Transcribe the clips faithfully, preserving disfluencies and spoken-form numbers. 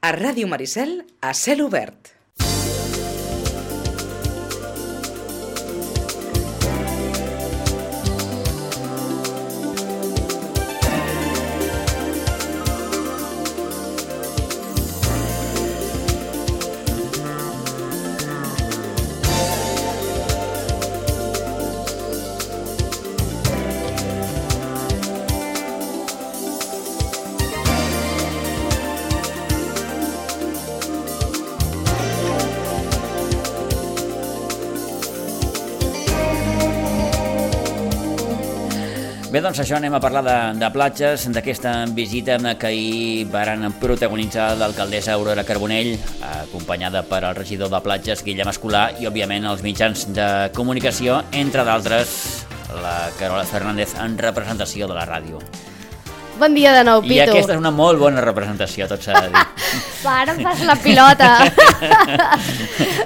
A Ràdio Maricel, a cel obert. Bé, doncs això, anem a parlar de, de platges, d'aquesta visita que ahir varen protagonitzar l'alcaldessa Aurora Carbonell, acompanyada per el regidor de platges, Guillem Escolà, i, òbviament, els mitjans de comunicació, entre d'altres, la Carola Fernández, en representació de la ràdio. Bon dia de nou, Pitu. I aquesta és una molt bona representació, tot s'ha de dir. Va, ara em fas la pilota.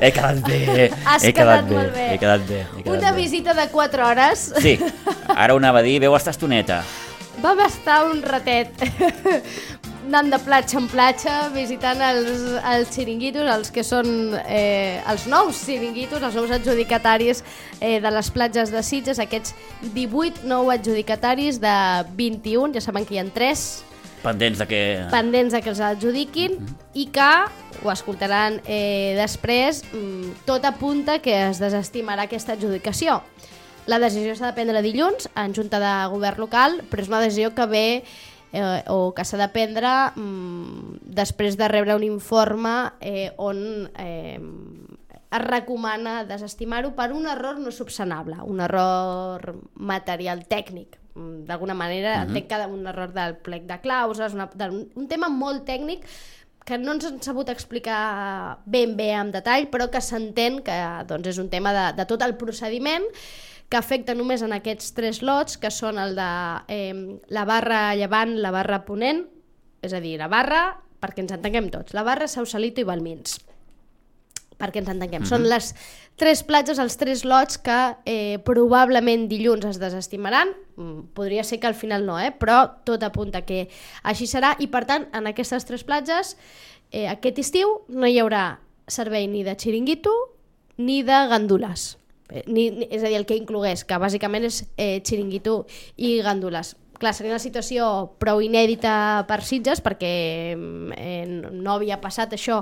He quedat bé. Has he quedat quedat bé, molt bé. He quedat bé. He quedat Una bé. visita de quatre hores. Sí, ara ho anava a dir, veu estar estoneta. Vam estar un ratet anant de platja en platja, visitant els, els xiringuitos, els que són eh, els nous xiringuitos, els nous adjudicataris eh, de les platges de Sitges, aquests divuit nou adjudicataris de vint-i-un, ja saben que hi ha tres Pendents de que... pendents de que els adjudiquin, mm-hmm. i que, ho escoltaran eh, després, tot apunta que es desestimarà aquesta adjudicació. La decisió s'ha de prendre dilluns en Junta de Govern local, però és una decisió que ve eh, o que s'ha de prendre mm, després de rebre un informe eh, on eh, es recomana desestimar-ho per un error no subsanable, un error material tècnic. D'alguna manera, uh-huh. entenc que un error del plec de clauses, una, un, un tema molt tècnic que no ens han sabut explicar ben bé en detall, però que s'entén que doncs, és un tema de, de tot el procediment que afecta només en aquests tres lots, que són el de eh, la barra llevant, la barra ponent, és a dir, la barra, perquè ens entenguem tots, la barra Sausalito i Balmins, perquè ens entenguem. Mm-hmm. Són les tres platges, els tres lots que eh, probablement dilluns es desestimaran. Podria ser que al final no, eh? Però tot apunta que així serà, i per tant, en aquestes tres platges, eh, aquest estiu no hi haurà servei ni de xiringuito ni de gandules. Eh, ni, ni, és a dir, el que inclogués, que bàsicament és eh, xiringuito i gandules. Clar, seria una situació prou inèdita per Sitges, perquè eh, no havia passat això,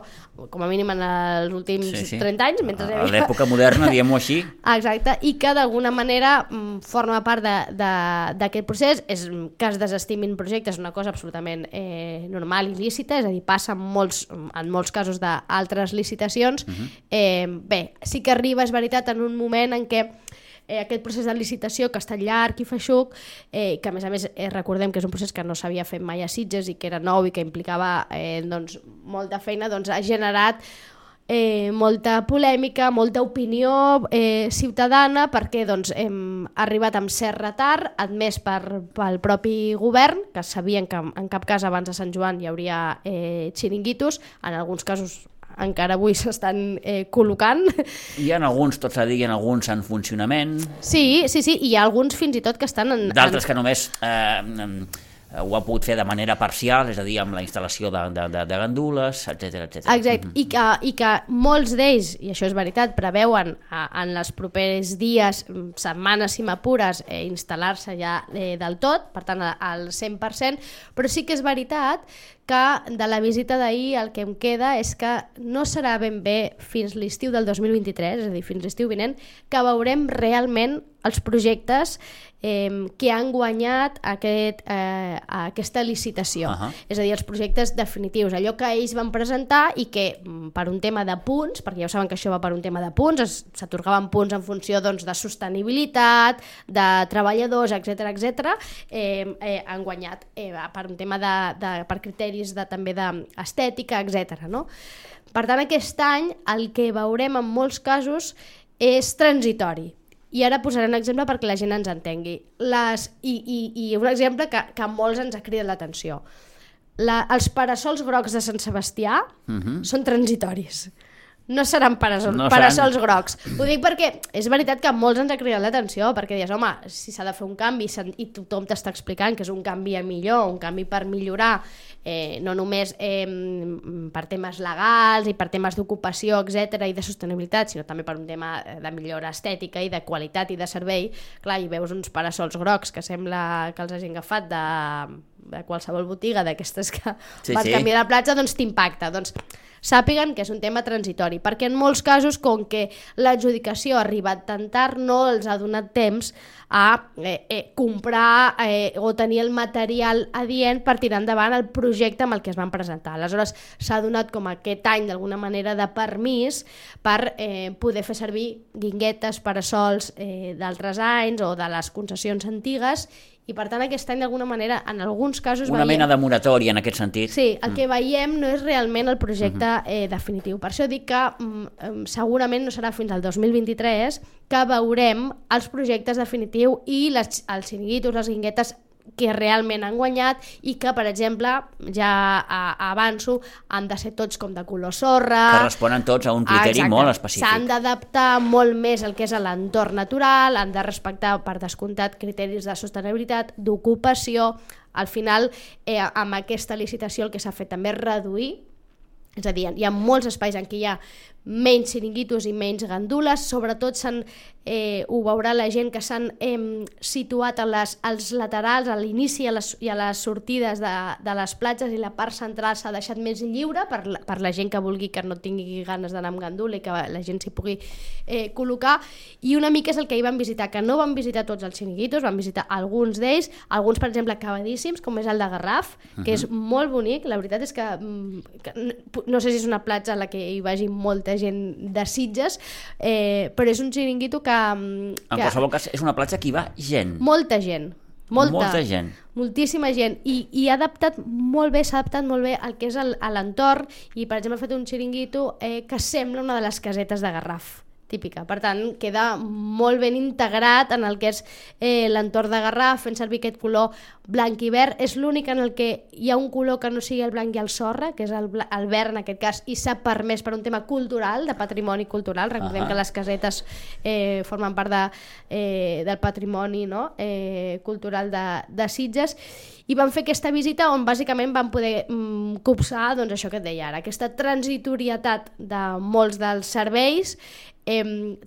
com a mínim en els últims sí, sí. trenta anys. Mentre a havia... l'època moderna, diguem-ho així. Exacte, i que d'alguna manera forma part d'aquest procés. És que es desestimin projectes, una cosa absolutament eh, normal i lícita, és a dir, passa en molts, en molts casos d'altres licitacions. Uh-huh. eh, bé, sí que arriba, és veritat, en un moment en què Eh, aquest procés de licitació, que ha estat llarg i feixuc, eh, que a més a més eh, recordem que és un procés que no s'havia fet mai a Sitges i que era nou i que implicava eh, doncs, molta feina, doncs ha generat eh, molta polèmica, molta opinió eh, ciutadana, perquè doncs, hem arribat amb cert retard, admès per, pel propi govern, que sabien que en cap cas abans de Sant Joan hi hauria eh, xiringuitos, en alguns casos encara avui s'estan eh, col·locant. Hi ha alguns, tots s'ha de dir, hi ha alguns en funcionament. Sí, sí, sí, i hi ha alguns fins i tot que estan en... D'altres en... que només eh, ho ha pogut fer de manera parcial, és a dir, amb la instal·lació de, de, de, de gandules, etcètera, etcètera. Exacte, mm-hmm. I, que, i que molts d'ells, i això és veritat, preveuen a, en els propers dies, setmanes, si m'apures, eh, instal·lar-se ja eh, del tot, per tant al cent per cent, però sí que és veritat que de la visita d'ahir el que em queda és que no serà ben bé fins l'estiu del dos mil vint-i-tres, és a dir, fins l'estiu vinent, que veurem realment els projectes eh, que han guanyat aquest, eh, aquesta licitació. Uh-huh. És a dir, els projectes definitius, allò que ells van presentar i que per un tema de punts, perquè ja ho saben que això va per un tema de punts, s'atorgaven punts en funció doncs, de sostenibilitat, de treballadors, etcètera, etcètera, eh, eh, han guanyat eh, per un tema de, de, per criteris de, també d'estètica, etcètera. No? Per tant, aquest any el que veurem en molts casos és transitori. I ara posaré un exemple perquè la gent ens entengui. Les, i, i, I un exemple que, que a molts ens ha cridat l'atenció. La, els parasols grocs de Sant Sebastià uh-huh. són transitoris. no seran parasol, no parasols seran... grocs. Ho dic perquè és veritat que molts ens ha cridat l'atenció, perquè dius, home, si s'ha de fer un canvi i tothom t'està explicant que és un canvi a millor, un canvi per millorar, eh, no només eh, per temes legals i per temes d'ocupació, etcètera, i de sostenibilitat, sinó també per un tema de millora estètica i de qualitat i de servei, clar, hi veus uns parasols grocs que sembla que els hagin agafat de, de qualsevol botiga d'aquestes que sí, van sí. canviar la platja, doncs t'impacta. Doncs sàpiguen que és un tema transitori, perquè en molts casos, com que l'adjudicació ha arribat tan tard, no els ha donat temps a eh, eh, comprar eh, o tenir el material adient per tirar endavant el projecte amb el que es van presentar. Aleshores, s'ha donat com aquest any, d'alguna manera, de permís per eh, poder fer servir guinguetes, parasols eh, d'altres anys o de les concessions antigues, i per tant aquest any d'alguna manera en alguns casos una veiem... mena de moratòria en aquest sentit. Sí, el que veiem no és realment el projecte eh, definitiu. Per això dic que mm, segurament no serà fins al dos mil vint-i-tres que veurem els projectes definitius i les, els xiringuitos, les guinguetes que realment han guanyat i que, per exemple, ja a, avanço, han de ser tots com de color sorra. Que responen tots a un criteri Exacte. Molt específic. S'han d'adaptar molt més al que és l'entorn natural, han de respectar, per descomptat, criteris de sostenibilitat, d'ocupació. Al final, eh, amb aquesta licitació el que s'ha fet també és reduir, és a dir, hi ha molts espais en què hi ha menys xiringuitos i menys gandules, sobretot s'han, eh, ho veurà la gent que s'han eh, situat a les, als laterals, a l'inici i a les, i a les sortides de, de les platges, i la part central s'ha deixat més lliure per la, per la gent que vulgui, que no tingui ganes d'anar amb gandula i que la gent s'hi pugui eh, col·locar. I una mica és el que hi van visitar, que no van visitar tots els xiringuitos, van visitar alguns d'ells, alguns per exemple acabadíssims, com és el de Garraf, uh-huh. que és molt bonic. La veritat és que, que no sé si és una platja a la que hi vagi molta gent de Sitges, eh, però és un xiringuito que, que... En qualsevol cas, és una platja que hi va gent. Molta gent. Molta, molta gent. Moltíssima gent. I, i ha adaptat molt bé, s'ha adaptat molt bé al que és el, a l'entorn, i per exemple ha fet un xiringuito eh, que sembla una de les casetes de Garraf. Típica. Per tant, queda molt ben integrat en el que és eh, l'entorn de Garraf, fent servir aquest color blanc i verd. És l'únic en el que hi ha un color que no sigui el blanc i el sorra, que és el, el verd en aquest cas, i s'ha permès per un tema cultural, de patrimoni cultural. Recordem uh-huh. que les casetes eh, formen part de, eh, del patrimoni, no? eh, cultural de, de Sitges, i van fer aquesta visita on bàsicament van poder mm, copsar, doncs, això que et deia ara, aquesta transitorietat de molts dels serveis. Eh,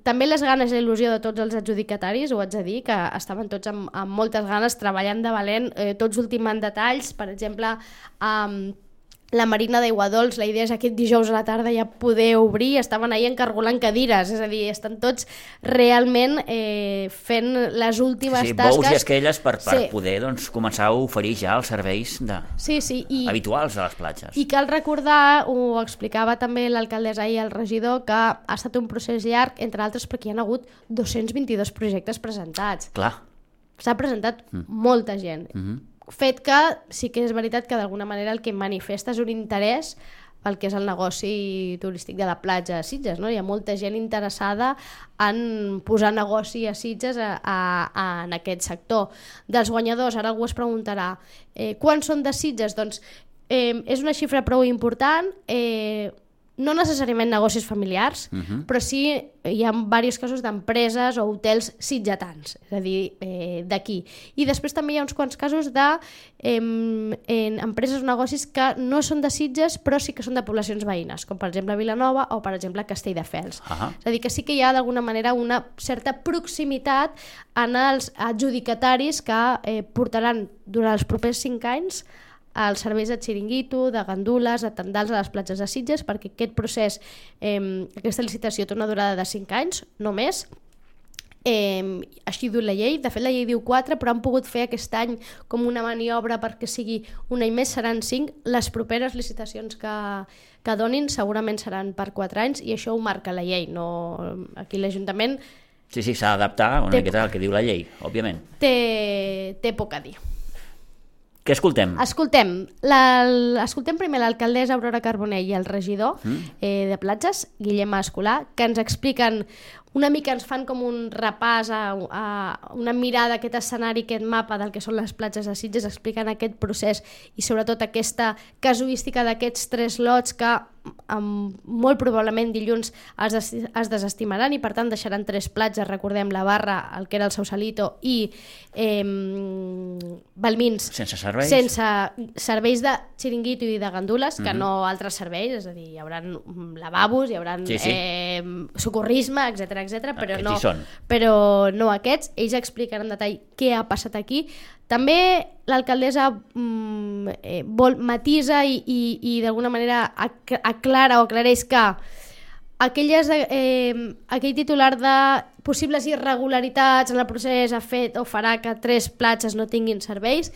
també les ganes i la il·lusió de tots els adjudicataris, ho haig de dir, que estaven tots amb, amb moltes ganes, treballant de valent, eh, tots ultimant detalls. Per exemple, amb la Marina d'Aiguadols, la idea és aquest dijous a la tarda ja poder obrir, estaven ahir encargolant cadires, és a dir, estan tots realment eh, fent les últimes sí, tasques. Bous i esquelles per, per sí. poder doncs, començar a oferir ja els serveis de... sí, sí, i... habituals a les platges. I cal recordar, ho explicava també l'alcaldessa i el regidor, que ha estat un procés llarg, entre altres perquè hi ha hagut dos-cents vint-i-dos projectes presentats. Clar. S'ha presentat mm. molta gent. Mm-hmm. Fet que sí que és veritat que d'alguna manera el que manifesta és un interès pel que és el negoci turístic de la platja a Sitges, no? Hi ha molta gent interessada en posar negoci a Sitges a, a, a, en aquest sector. Dels guanyadors, ara algú es preguntarà, eh, quants són de Sitges? Doncs eh, és una xifra prou important, eh, no necessàriament negocis familiars, uh-huh. però sí hi ha diversos casos d'empreses o hotels sitgetans, és a dir, eh, d'aquí. I després també hi ha uns quants casos de eh, en empreses o negocis que no són de Sitges, però sí que són de poblacions veïnes, com per exemple Vilanova o per exemple Castelldefels. Uh-huh. És a dir, que sí que hi ha d'alguna manera una certa proximitat en els adjudicataris que eh, portaran durant els propers cinc anys els serveis de xiringuito, de gandules, de tendals a les platges de Sitges, perquè aquest procés, eh, aquesta licitació té una durada de cinc anys, no més. Eh, així diu la llei, de fet la llei diu quatre, però han pogut fer aquest any com una maniobra perquè sigui un any més, seran cinc. Les properes licitacions que, que donin segurament seran per quatre anys, i això ho marca la llei. No, aquí l'Ajuntament... Sí, sí, s'ha d'adaptar una miqueta al que diu la llei, òbviament. Té, té poc a dir. Què escoltem? Escoltem, la, escoltem primer l'alcaldessa Aurora Carbonell i el regidor mm. eh, de platges, Guillem Escolà, que ens expliquen una mica, ens fan com un repàs, a, a una mirada a aquest escenari, aquest mapa del que són les platges de Sitges, expliquen aquest procés i sobretot aquesta casuística d'aquests tres lots que amb, molt probablement dilluns es, des, es desestimaran i per tant deixaran tres platges, recordem la Barra, el que era el Sausalito i eh, Balmins sense serveis sense serveis de xiringuito i de gandules, que mm-hmm. no altres serveis, és a dir, hi haurà lavabos, hi haurà sí, sí. Eh, socorrisme, etcètera, etcètera, però, no, però no aquests. Ells explicaran en detall què ha passat aquí. També l'alcaldessa mm, eh, vol matisa i, i, i d'alguna manera aclara o aclareix que aquelles, eh, aquell titular de possibles irregularitats en el procés ha fet o farà que tres platges no tinguin serveis,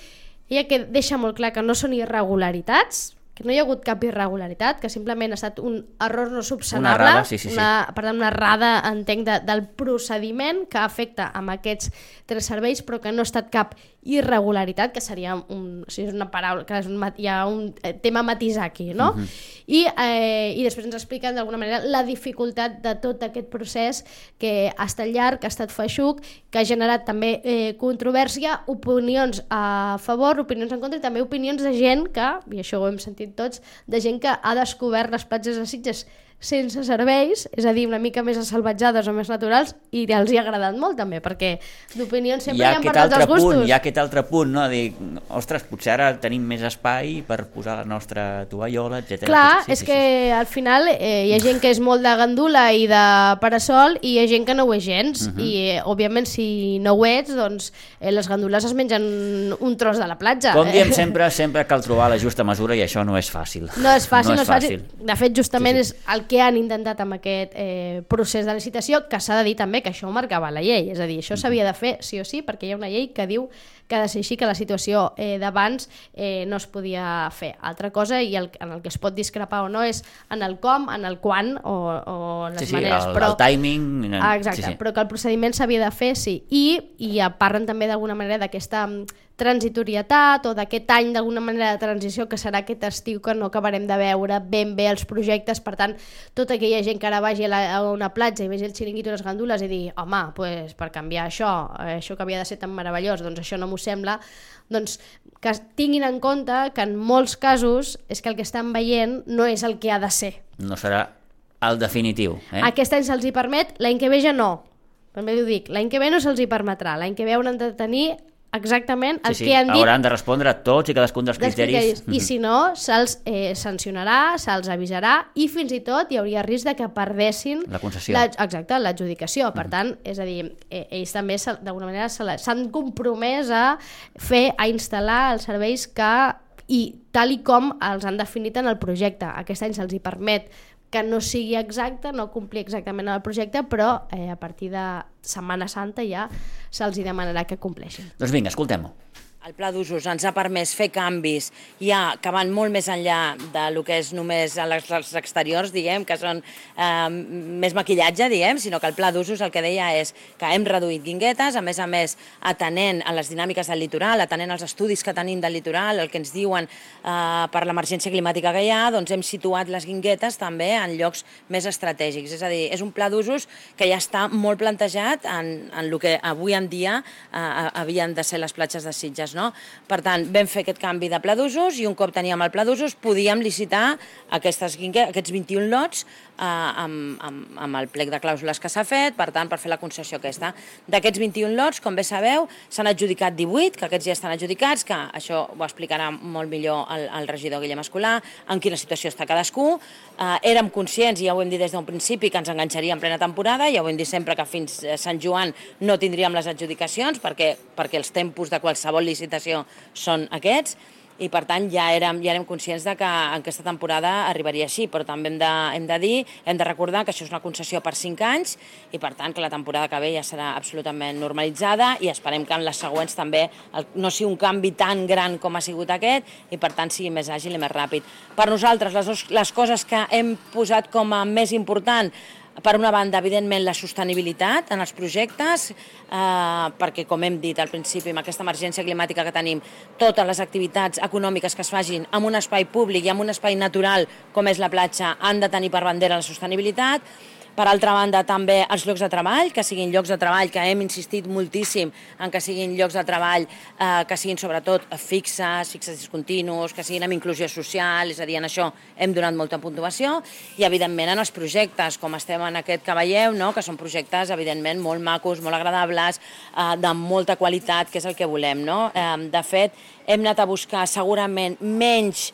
ella que deixa molt clar que no són irregularitats, que no hi ha hagut cap irregularitat, que simplement ha estat un error no subsanable, una errada, sí, sí, sí. Una, per tant, una errada, entenc, de, del procediment que afecta amb aquests tres serveis, però que no ha estat cap irregularitat, que seria un, o sigui, és una paraula, que és un, hi ha un tema a matisar aquí, no? Uh-huh. I, eh, I després ens expliquen d'alguna manera la dificultat de tot aquest procés que ha estat llarg, que ha estat feixuc, que ha generat també eh, controvèrsia, opinions a favor, opinions en contra i també opinions de gent que, i això ho hem sentit tots, de gent que ha descobert les platges de Sitges sense serveis, és a dir, una mica més salvatjades o més naturals, i els hi ha agradat molt també, perquè d'opinions sempre hi ha, hi ha per tots els gustos. Punt, hi ha aquest altre punt, no? Dir, ostres, potser ara tenim més espai per posar la nostra tovallola, etcètera. Clar, sí, és sí, que sí. al final eh, hi ha gent que és molt de gandula i de parasol i hi ha gent que no ho és gens, uh-huh. i eh, òbviament si no ho ets, doncs eh, les gandules es mengen un tros de la platja. Com diem sempre, sempre cal trobar la justa mesura i això no és fàcil. No és fàcil, no és, no és fàcil. fàcil. De fet, justament sí, sí. és el que han intentat amb aquest eh, procés de licitació, que s'ha de dir també que això ho marcava la llei, és a dir, això s'havia de fer sí o sí, perquè hi ha una llei que diu que ha de ser així, que la situació eh, d'abans eh, no es podia fer. Altra cosa, i el, en el que es pot discrepar o no, és en el com, en el quan o, o les sí, sí, maneres. El, però, el timing... Ah, exacte, sí, sí. Però que el procediment s'havia de fer, sí. I, i parlen també d'alguna manera d'aquesta transitorietat o d'aquest any d'alguna manera de transició que serà aquest estiu que no acabarem de veure ben bé els projectes, per tant tota aquella gent que ara vagi a, la, a una platja i vegi el xiringuito i les gandules i digui home, pues, per canviar això, això que havia de ser tan meravellós, doncs això no m'ho sembla, doncs que tinguin en compte que en molts casos és que el que estan veient no és el que ha de ser. No serà el definitiu. Eh? Aquest any se'ls hi permet, l'any que ve ja no. També ho dic, l'any que ve no se'ls hi permetrà, l'any que ve hauran de tenir exactament el sí, sí. que han dit. Hauran de respondre a tots i cadascun dels criteris. criteris. I si no, se'ls eh, sancionarà, se'ls avisarà i fins i tot hi hauria risc de que perdessin la concessió. La, exacte, l'adjudicació. Per tant, és a dir, eh, ells també d'alguna manera s'han compromès a fer, a instal·lar els serveis que, i tal i com els han definit en el projecte. Aquest any se'ls hi permet que no sigui exacte, no complir exactament el projecte, però eh, a partir de Setmana Santa ja se'ls hi demanarà que compleixin. Doncs vinga, escoltem-ho. El pla d'usos ens ha permès fer canvis ja que van molt més enllà del que és només els exteriors, diguem, que són eh, més maquillatge, diguem, sinó que el pla d'usos el que deia és que hem reduït guinguetes, a més a més atenent a les dinàmiques del litoral, atenent als estudis que tenim del litoral, el que ens diuen eh, per l'emergència climàtica que hi ha, doncs hem situat les guinguetes també en llocs més estratègics. És a dir, és un pla d'usos que ja està molt plantejat en, en el que avui en dia eh, havien de ser les platges de Sitges. No? Per tant, vam fer aquest canvi de pla d'usos i un cop teníem el pla d'usos podíem licitar aquestes guinguetes, aquests vint-i-un lots eh, amb, amb, amb el plec de clàusules que s'ha fet, per tant, per fer la concessió aquesta. D'aquests vint-i-un lots, com bé sabeu, s'han adjudicat divuit, que aquests ja estan adjudicats, que això ho explicarà molt millor el, el regidor Guillem Escolà, en quina situació està cadascú. Eh, érem conscients, i ja ho hem dit des d'un principi, que ens enganxaria en plena temporada, ja ho hem dit sempre que fins Sant Joan no tindríem les adjudicacions, perquè, perquè els tempos de qualsevol licitació són aquests, i per tant ja érem, ja érem conscients de que en aquesta temporada arribaria així, però també hem de, hem de dir, hem de recordar que això és una concessió per cinc anys i per tant que la temporada que ve ja serà absolutament normalitzada i esperem que en les següents també el, no sigui un canvi tan gran com ha sigut aquest i per tant sigui més àgil i més ràpid. Per nosaltres les, dos, les coses que hem posat com a més important, per una banda, evidentment, la sostenibilitat en els projectes, eh, perquè, com hem dit al principi, amb aquesta emergència climàtica que tenim, totes les activitats econòmiques que es facin en un espai públic i en un espai natural, com és la platja, han de tenir per bandera la sostenibilitat. Per altra banda, també els llocs de treball, que siguin llocs de treball, que hem insistit moltíssim en que siguin llocs de treball eh, que siguin sobretot fixes, fixes discontinus, que siguin amb inclusió social, és a dir, en això hem donat molta puntuació, i evidentment en els projectes, com estem en aquest que veieu, no? Que són projectes evidentment molt macos, molt agradables, eh, de molta qualitat, que és el que volem. No? Eh, de fet, hem anat a buscar segurament menys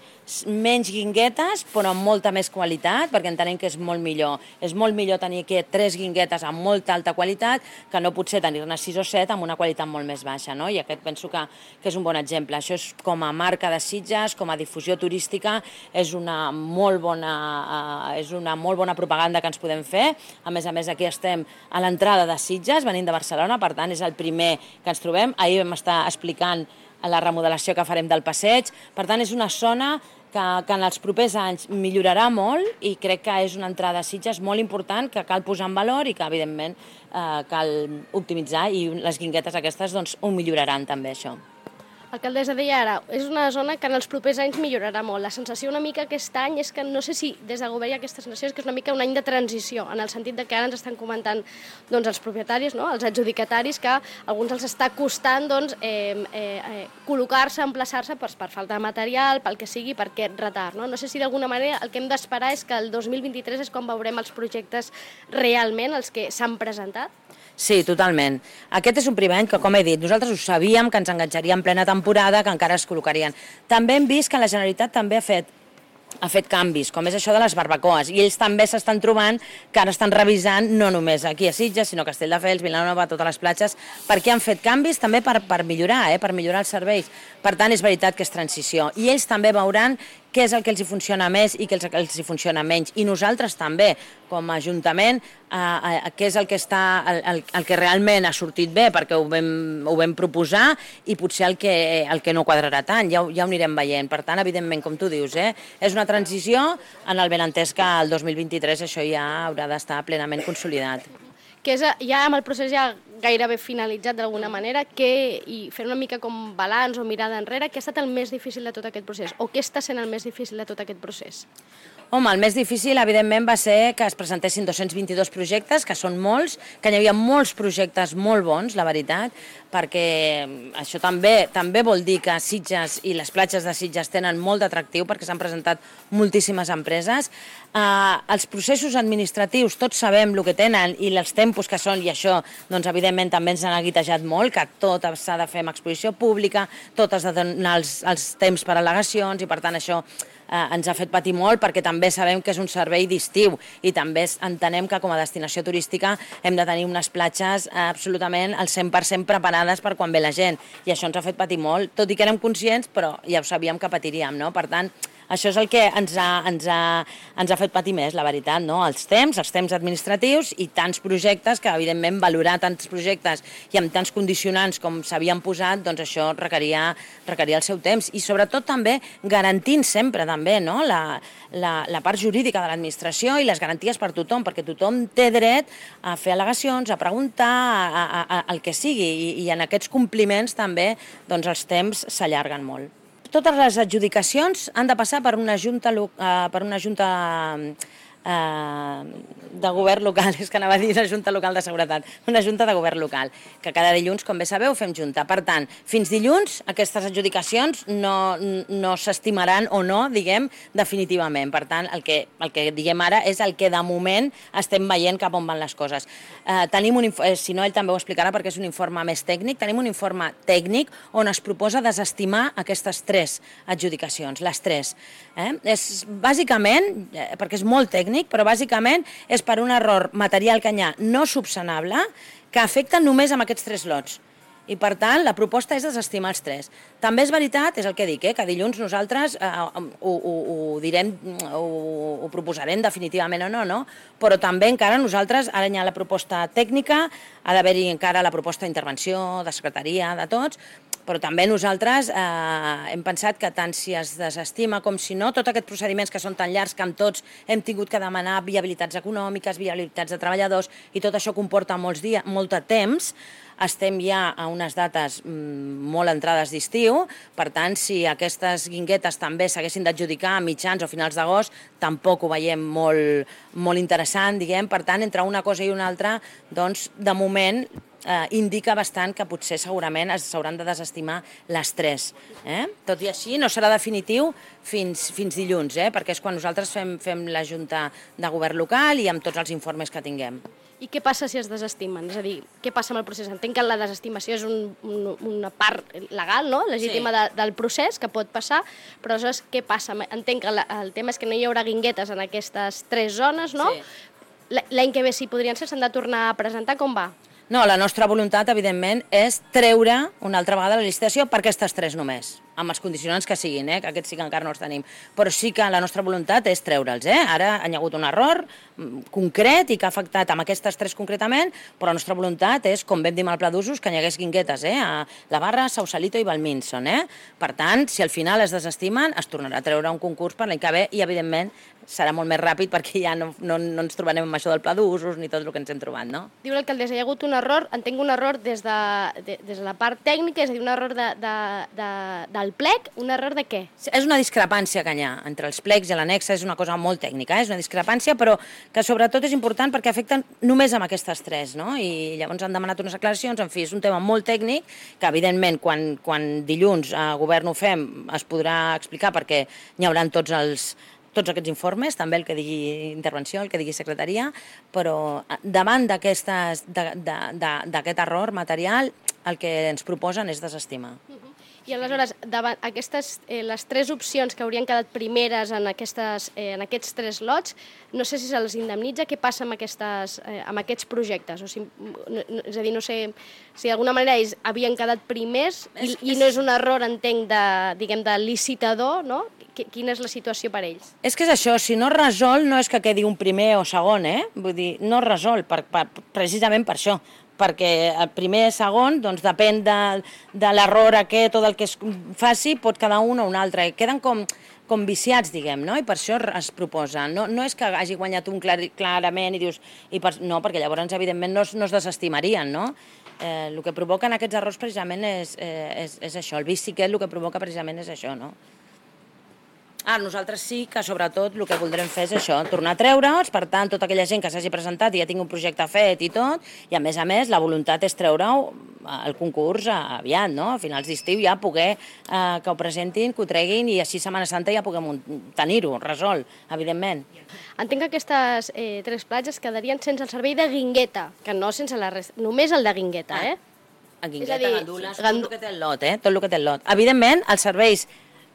menys guinguetes, però amb molta més qualitat, perquè entenem que és molt millor. És molt millor tenir aquí tres guinguetes amb molta alta qualitat que no potser tenir-ne sis o set amb una qualitat molt més baixa, no? I aquest penso que, que és un bon exemple. Això és com a marca de Sitges, com a difusió turística, és una molt bona, uh, és una molt bona propaganda que ens podem fer. A més a més, aquí estem a l'entrada de Sitges, venint de Barcelona, per tant, és el primer que ens trobem. Ahir vam estar explicant la remodelació que farem del passeig. Per tant, és una zona que, que en els propers anys millorarà molt i crec que és una entrada a Sitges molt important que cal posar en valor i que, evidentment, eh, cal optimitzar i les guinguetes aquestes doncs, ho milloraran també, això. Alcaldessa deia ara, és una zona que en els propers anys millorarà molt. La sensació una mica aquest any és que no sé si des del govern hi ha aquesta sensació, és que és una mica un any de transició, en el sentit de que ara ens estan comentant doncs, els propietaris, no? Els adjudicataris, que a alguns els està costant doncs, eh, eh, col·locar-se, emplaçar-se per, per falta de material, pel que sigui, per aquest retard. No, no sé si d'alguna manera el que hem d'esperar és que el dos mil vint-i-tres és quan veurem els projectes realment, els que s'han presentat. Sí, totalment. Aquest és un primer any que, com he dit, nosaltres ho sabíem que ens enganxaria en plena temporada, que encara es col·locarien. També hem vist que la Generalitat també ha fet ha fet canvis, com és això de les barbacoes, i ells també s'estan trobant que ara estan revisant no només aquí a Sitges, sinó a Castelldefels, Vilanova, totes les platges, perquè han fet canvis també per, per millorar, eh, per millorar els serveis. Per tant, és veritat que és transició. I ells també veuran què és el que els hi funciona més i què és el que els hi funciona menys. I nosaltres també, com a Ajuntament, eh, eh, què és el que, està, el, el, el que realment ha sortit bé, perquè ho vam, ho vam proposar, i potser el que, el que no quadrarà tant, ja, ja ho anirem veient. Per tant, evidentment, com tu dius, eh, és una transició en el benentès que el dos mil vint-i-tres això ja haurà d'estar plenament consolidat. Que és ja amb el procés ja gairebé finalitzat d'alguna manera, que, i fer una mica com balanç o mirada enrere, què ha estat el més difícil de tot aquest procés? O què està sent el més difícil de tot aquest procés? Home, el més difícil, evidentment, va ser que es presentessin dos-cents vint-i-dos projectes, que són molts, que hi havia molts projectes molt bons, la veritat, perquè això també també vol dir que Sitges i les platges de Sitges tenen molt d'atractiu, perquè s'han presentat moltíssimes empreses. Uh, els processos administratius, tots sabem el que tenen i els tempos que són, i això, doncs, evidentment, també ens han aguitejat molt, que tot s'ha de fer amb exposició pública, tot has de donar els, els temps per al·legacions, i per tant això eh, ens ha fet patir molt, perquè també sabem que és un servei d'estiu i també entenem que com a destinació turística hem de tenir unes platges absolutament al cent per cent preparades per quan ve la gent, i això ens ha fet patir molt, tot i que érem conscients, però ja ho sabíem que patiríem, no? Per tant, això és el que ens ha, ens, ha, ens ha fet patir més, la veritat, no? Els temps, els temps administratius i tants projectes que, evidentment, valorar tants projectes i amb tants condicionants com s'havien posat, doncs això requeria, requeria el seu temps. I sobretot també garantint sempre també, no? la, la, la part jurídica de l'administració i les garanties per tothom, perquè tothom té dret a fer al·legacions, a preguntar, a, a, a, el que sigui, i, i en aquests compliments també doncs, els temps s'allarguen molt. Totes les adjudicacions han de passar per una junta, uh, per una junta uh, de govern local, és que anava a dir una junta local de seguretat, una junta de govern local, que cada dilluns, com bé sabeu, fem junta. Per tant, fins dilluns aquestes adjudicacions no, no s'estimaran o no, diguem, definitivament. Per tant, el que, el que diguem ara és el que de moment estem veient cap on van les coses. Eh, tenim un, eh, si no, ell també ho explicarà perquè és un informe més tècnic, tenim un informe tècnic on es proposa desestimar aquestes tres adjudicacions, les tres. Eh? És bàsicament, eh, perquè és molt tècnic, però bàsicament és per un error material canyà no subsanable que afecta només amb aquests tres lots. I, per tant, la proposta és desestimar els tres. També és veritat, és el que dic, eh, que dilluns nosaltres eh, ho, ho, ho direm, ho, ho proposarem definitivament o no, no? Però també encara nosaltres, ara hi ha la proposta tècnica, ha d'haver-hi encara la proposta d'intervenció, de secretaria, de tots, però també nosaltres eh, hem pensat que tant si es desestima com si no, tots aquests procediments que són tan llargs que amb tots hem tingut que demanar viabilitats econòmiques, viabilitats de treballadors, i tot això comporta molts dies, molt de temps, estem ja a unes dates molt entrades d'estiu, per tant, si aquestes guinguetes també s'haguessin d'adjudicar a mitjans o finals d'agost, tampoc ho veiem molt, molt interessant, diguem. Per tant, entre una cosa i una altra, doncs, de moment, eh, indica bastant que potser segurament s'hauran de desestimar les tres. Eh? Tot i així, no serà definitiu fins, fins dilluns, eh? perquè és quan nosaltres fem, fem la Junta de Govern local i amb tots els informes que tinguem. I què passa si es desestimen? És a dir, què passa amb el procés? Entenc que la desestimació és un, un, una part legal, no? legítima sí. de, del procés, que pot passar, però aleshores què passa? Entenc que la, el tema és que no hi haurà guinguetes en aquestes tres zones, no? Sí. L'any que ve, si podrien ser, s'han de tornar a presentar, com va? No, la nostra voluntat, evidentment, és treure una altra vegada la licitació per aquestes tres només, amb els condicionants que siguin, eh? que aquests sí que encara no els tenim. Però sí que la nostra voluntat és treure'ls. Eh? Ara hi ha hagut un error concret i que ha afectat amb aquestes tres concretament, però la nostra voluntat és, com vam dir amb el pla d'usos, que hi hagués guinguetes eh? a La Barra, Sausalito i Valminson. Eh? Per tant, si al final es desestimen, es tornarà a treure un concurs per l'any que ve i, evidentment, serà molt més ràpid perquè ja no, no, no ens trobarem amb això del pla d'usos ni tot el que ens hem trobat, no? Diu l'alcaldessa, hi ha hagut un error, entenc un error des de, de, des de la part tècnica, és a dir, un error de, de, de, del plec, un error de què? És una discrepància que hi ha entre els plecs i l'annexa, és una cosa molt tècnica, eh? és una discrepància, però que sobretot és important perquè afecten només amb aquestes tres, no? I llavors han demanat unes aclaracions, en fi, és un tema molt tècnic, que evidentment quan, quan dilluns a govern ho fem es podrà explicar perquè hi haurà tots els tots aquests informes, també el que digui intervenció, el que digui secretaria, però davant d'aquest error material el que ens proposen és desestimar. I aleshores, davant aquestes, eh, les tres opcions que haurien quedat primeres en, aquestes, eh, en aquests tres lots, no sé si se'ls indemnitza, què passa amb, aquestes, eh, amb aquests projectes? O sigui, no, no, és a dir, no sé si d'alguna manera ells havien quedat primers i, i no és un error, entenc, de, diguem, de licitador, no? Quina és la situació per ells? És que és això, si no es resol no és que quedi un primer o segon, eh? Vull dir, no es resol, per, per, precisament per això, perquè el primer i segon, doncs depèn de, de l'error aquest o del que es faci, pot quedar un o un altre. Queden com, com viciats, diguem, no? I per això es proposa. No, no és que hagi guanyat un clar, clarament i dius... I per, no, perquè llavors, evidentment, no es, no es desestimarien, no? Eh, el que provoquen aquests errors precisament és, eh, és, és això. El vici aquest el que provoca precisament és això, no? Ah, nosaltres sí que, sobretot, el que voldrem fer és això, tornar a treure'ls, per tant, tota aquella gent que s'hagi presentat i ja tingui un projecte fet i tot, i a més a més la voluntat és treure-ho el concurs aviat, no? A finals d'estiu ja poder eh, que ho presentin, que ho treguin i així Setmana Santa ja puguem tenir-ho resolt, evidentment. Entenc que aquestes eh, tres platges quedarien sense el servei de guingueta, que no sense la resta, només el de guingueta, eh? A guingueta, gandules, tot el que té el lot, eh? Tot el que té el lot. Evidentment, els serveis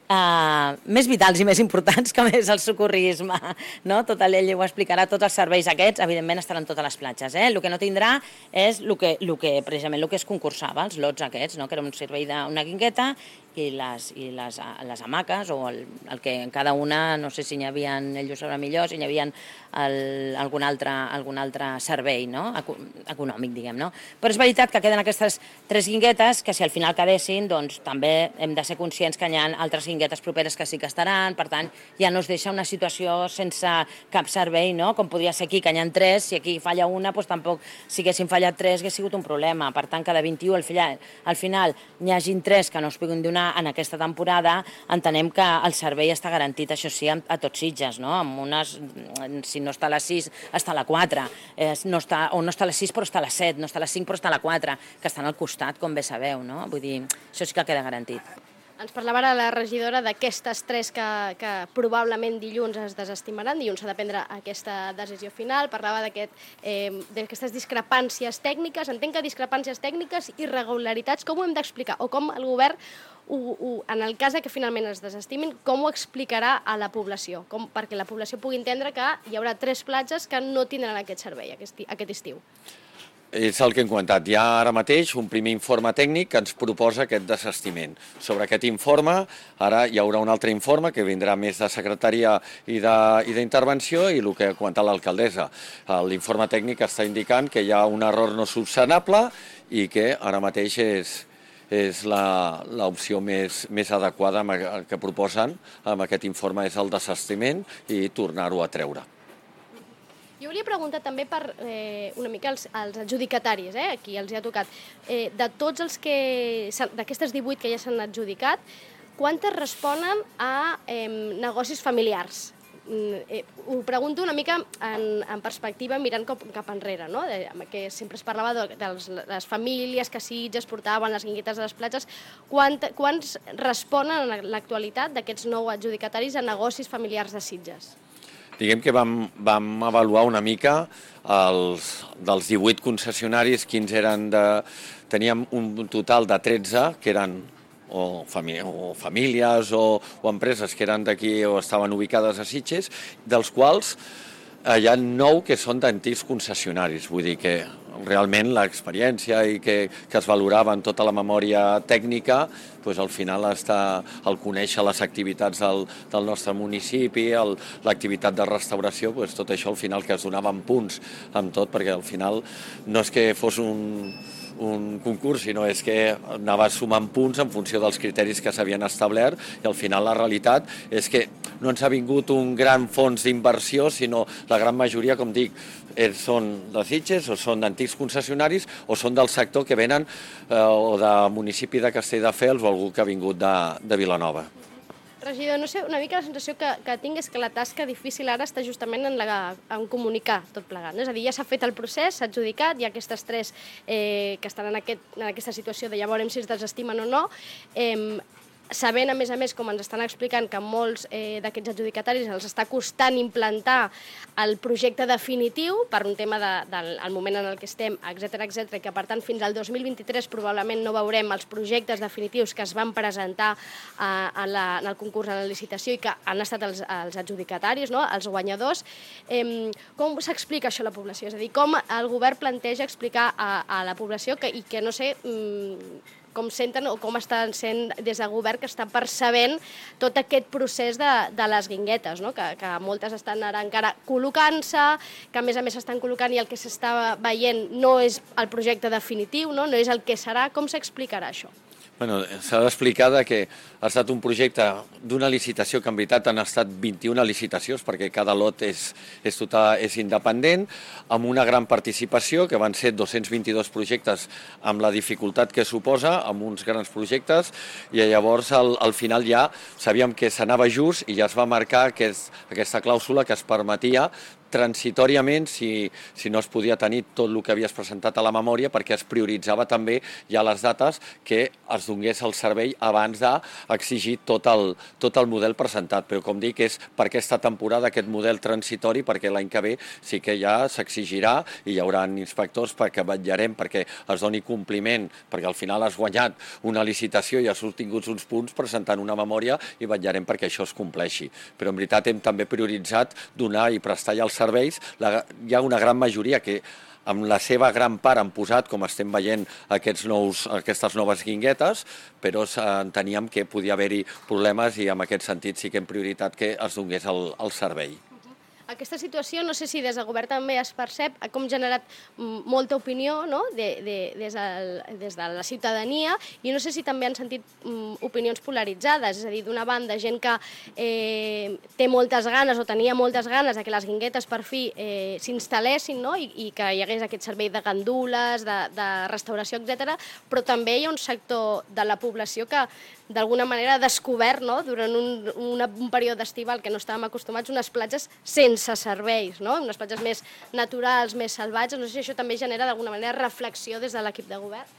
Uh, més vitals i més importants, com és el socorrisme, no? Tot ell ho explicarà, tots els serveis aquests, evidentment estaran totes les platges. Eh? El que no tindrà és el que, el que, precisament el que es concursava, els lots aquests, no? Que era un servei d'una guingueta i les, i les, les hamaques, o el, el que en cada una, no sé si n'hi havia, ell ho sabrà millor, si n'hi havia el, algun, altre, algun altre servei, no? Econòmic, diguem, no? Però és veritat que queden aquestes tres guinguetes que si al final quedessin, doncs també hem de ser conscients que hi ha altres guinguetes properes que sí que estaran, per tant, ja no es deixa una situació sense cap servei, no? Com podria ser aquí, que n'hi ha tres, si aquí falla una, doncs tampoc, si haguessin fallat tres, hagués sigut un problema. Per tant, cada vint-i-u, al final, al final n'hi hagin tres que no es puguin donar en aquesta temporada, entenem que el servei està garantit, això sí, a tots Sitges, no? Amb unes, si no està a les sis, està a la quatre, eh, no està, o no està a les sis però està a les set, no està a les cinc però està a la quatre, que estan al costat, com bé sabeu, no? Vull dir, això sí que queda garantit. Ens parlava ara la regidora d'aquestes tres que, que probablement dilluns es desestimaran, dilluns s'ha de prendre aquesta decisió final, parlava d'aquestes eh, discrepàncies tècniques, entenc que discrepàncies tècniques, irregularitats, com ho hem d'explicar? O com el govern, ho, ho, en el cas que finalment es desestimin, com ho explicarà a la població? Com, perquè la població pugui entendre que hi haurà tres platges que no tindran aquest servei aquest, aquest estiu. És el que hem comentat. Hi ha ara mateix un primer informe tècnic que ens proposa aquest desestiment. Sobre aquest informe, ara hi haurà un altre informe que vindrà més de secretaria i d'intervenció i el que ha comentat l'alcaldessa. L'informe tècnic està indicant que hi ha un error no subsanable i que ara mateix és, és l'opció més, més adequada que proposen amb aquest informe, és el desestiment i tornar-ho a treure. Jo volia preguntar també per eh, una mica els, els adjudicataris, eh, aquí els hi ha tocat. Eh, de tots els que, d'aquestes divuit que ja s'han adjudicat, quantes responen a eh, negocis familiars? Eh, ho pregunto una mica en, en perspectiva mirant cap, cap enrere, no? De, que sempre es parlava de, de les, les famílies que Sitges portaven les guinguetes de les platges. Quant, quants responen en l'actualitat d'aquests nou adjudicataris a negocis familiars de Sitges? Diguem que vam, vam avaluar una mica els, dels divuit concessionaris, quins eren de... Teníem un total de tretze, que eren o, famí o famílies o, o empreses que eren d'aquí o estaven ubicades a Sitges, dels quals eh, hi ha nou que són d'antics concessionaris. Vull dir que realment l'experiència i que, que es valorava en tota la memòria tècnica, doncs al final està el conèixer les activitats del, del nostre municipi, l'activitat de restauració, doncs tot això al final que es donaven punts amb tot, perquè al final no és que fos un... un concurs, sinó és que anava sumant punts en funció dels criteris que s'havien establert i al final la realitat és que no ens ha vingut un gran fons d'inversió, sinó la gran majoria, com dic, són de Sitges o són d'antics concessionaris o són del sector que venen eh, o de municipi de Castelldefels o algú que ha vingut de, de Vilanova. Regidor, no sé, una mica la sensació que, que tinc és que la tasca difícil ara està justament en, la, en comunicar tot plegat. No? És a dir, ja s'ha fet el procés, s'ha adjudicat, hi ha aquestes tres eh, que estan en, aquest, en aquesta situació de ja veurem si es desestimen o no. Eh, sabent, a més a més, com ens estan explicant, que molts eh, d'aquests adjudicataris els està costant implantar el projecte definitiu per un tema de, del el moment en el que estem, etcètera, etcètera, i que per tant fins al dos mil vint-i-tres probablement no veurem els projectes definitius que es van presentar eh, en, la, en el concurs, en la licitació i que han estat els, els adjudicataris, no? Els guanyadors. Eh, com s'explica això a la població? És a dir, com el govern planteja explicar a, a la població que, i que, no sé, mm, com senten o com estan sent des del govern que està percebent tot aquest procés de, de les guinguetes, no? que, que moltes estan ara encara col·locant-se, que a més a més s'estan col·locant i el que s'està veient no és el projecte definitiu, no, no és el que serà. Com s'explicarà això? Bueno, s'ha d'explicar que ha estat un projecte d'una licitació que en veritat han estat vint-i-una licitacions perquè cada lot és, és, total, és independent, amb una gran participació, que van ser dos-cents vint-i-dos projectes amb la dificultat que suposa, amb uns grans projectes, i llavors al, al final ja sabíem que s'anava just i ja es va marcar aquest, aquesta clàusula que es permetia transitòriament, si, si no es podia tenir tot el que havies presentat a la memòria, perquè es prioritzava també ja les dates que es donés el servei abans d'exigir tot el, tot el model presentat. Però com dic, és per aquesta temporada aquest model transitori, perquè l'any que ve sí que ja s'exigirà i hi haurà inspectors perquè vetllarem perquè es doni compliment, perquè al final has guanyat una licitació i has obtingut uns punts presentant una memòria i vetllarem perquè això es compleixi. Però en veritat hem també prioritzat donar i prestar ja els serveis. La, hi ha una gran majoria que amb la seva gran part han posat, com estem veient, aquests nous, aquestes noves guinguetes, però enteníem que podia haver-hi problemes i en aquest sentit sí que hem prioritat que es donés el, el servei. Aquesta situació, no sé si des del govern també es percep, ha com generat molta opinió, no? de, de, des, del, des de la ciutadania, i no sé si també han sentit um, opinions polaritzades, és a dir, d'una banda, gent que eh, té moltes ganes o tenia moltes ganes de que les guinguetes per fi eh, s'instal·lessin, no? I, i que hi hagués aquest servei de gandules, de, de restauració, etcètera, però també hi ha un sector de la població que d'alguna manera ha descobert, no? Durant un, una, un període estival que no estàvem acostumats, unes platges sense serveis, no? Unes platges més naturals, més salvatges. No sé si això també genera d'alguna manera reflexió des de l'equip de govern.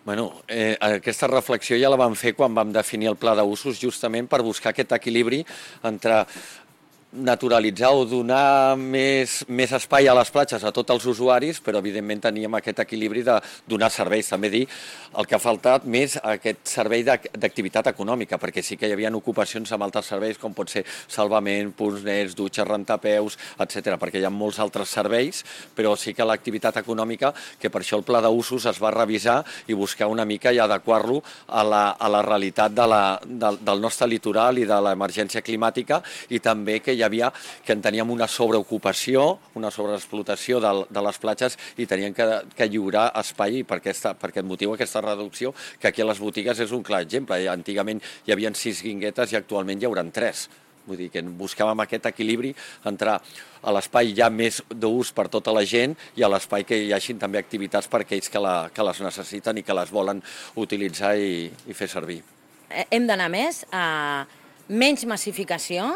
Bueno, eh, aquesta reflexió ja la vam fer quan vam definir el pla d'usos, justament per buscar aquest equilibri entre naturalitzar o donar més, més espai a les platges a tots els usuaris, però evidentment teníem aquest equilibri de donar serveis. També dir el que ha faltat més aquest servei d'activitat econòmica, perquè sí que hi havia ocupacions amb altres serveis, com pot ser salvament, punts nets, dutxes, rentapeus, etcètera, perquè hi ha molts altres serveis, però sí que l'activitat econòmica, que per això el pla d'usos es va revisar i buscar una mica i adequar-lo a la, a la realitat de la, del, del nostre litoral i de l'emergència climàtica, i també que hi hi havia, que en teníem una sobreocupació, una sobreexplotació de, de les platges i tenien que, que lliurar espai per, aquesta, per aquest motiu, aquesta reducció, que aquí a les botigues és un clar exemple. Antigament hi havia sis guinguetes i actualment hi hauran tres. Vull dir que buscàvem aquest equilibri, entrar a l'espai ja més d'ús per tota la gent i a l'espai que hi hagin també activitats per aquells que, la, que les necessiten i que les volen utilitzar i, i fer servir. Hem d'anar més a menys massificació,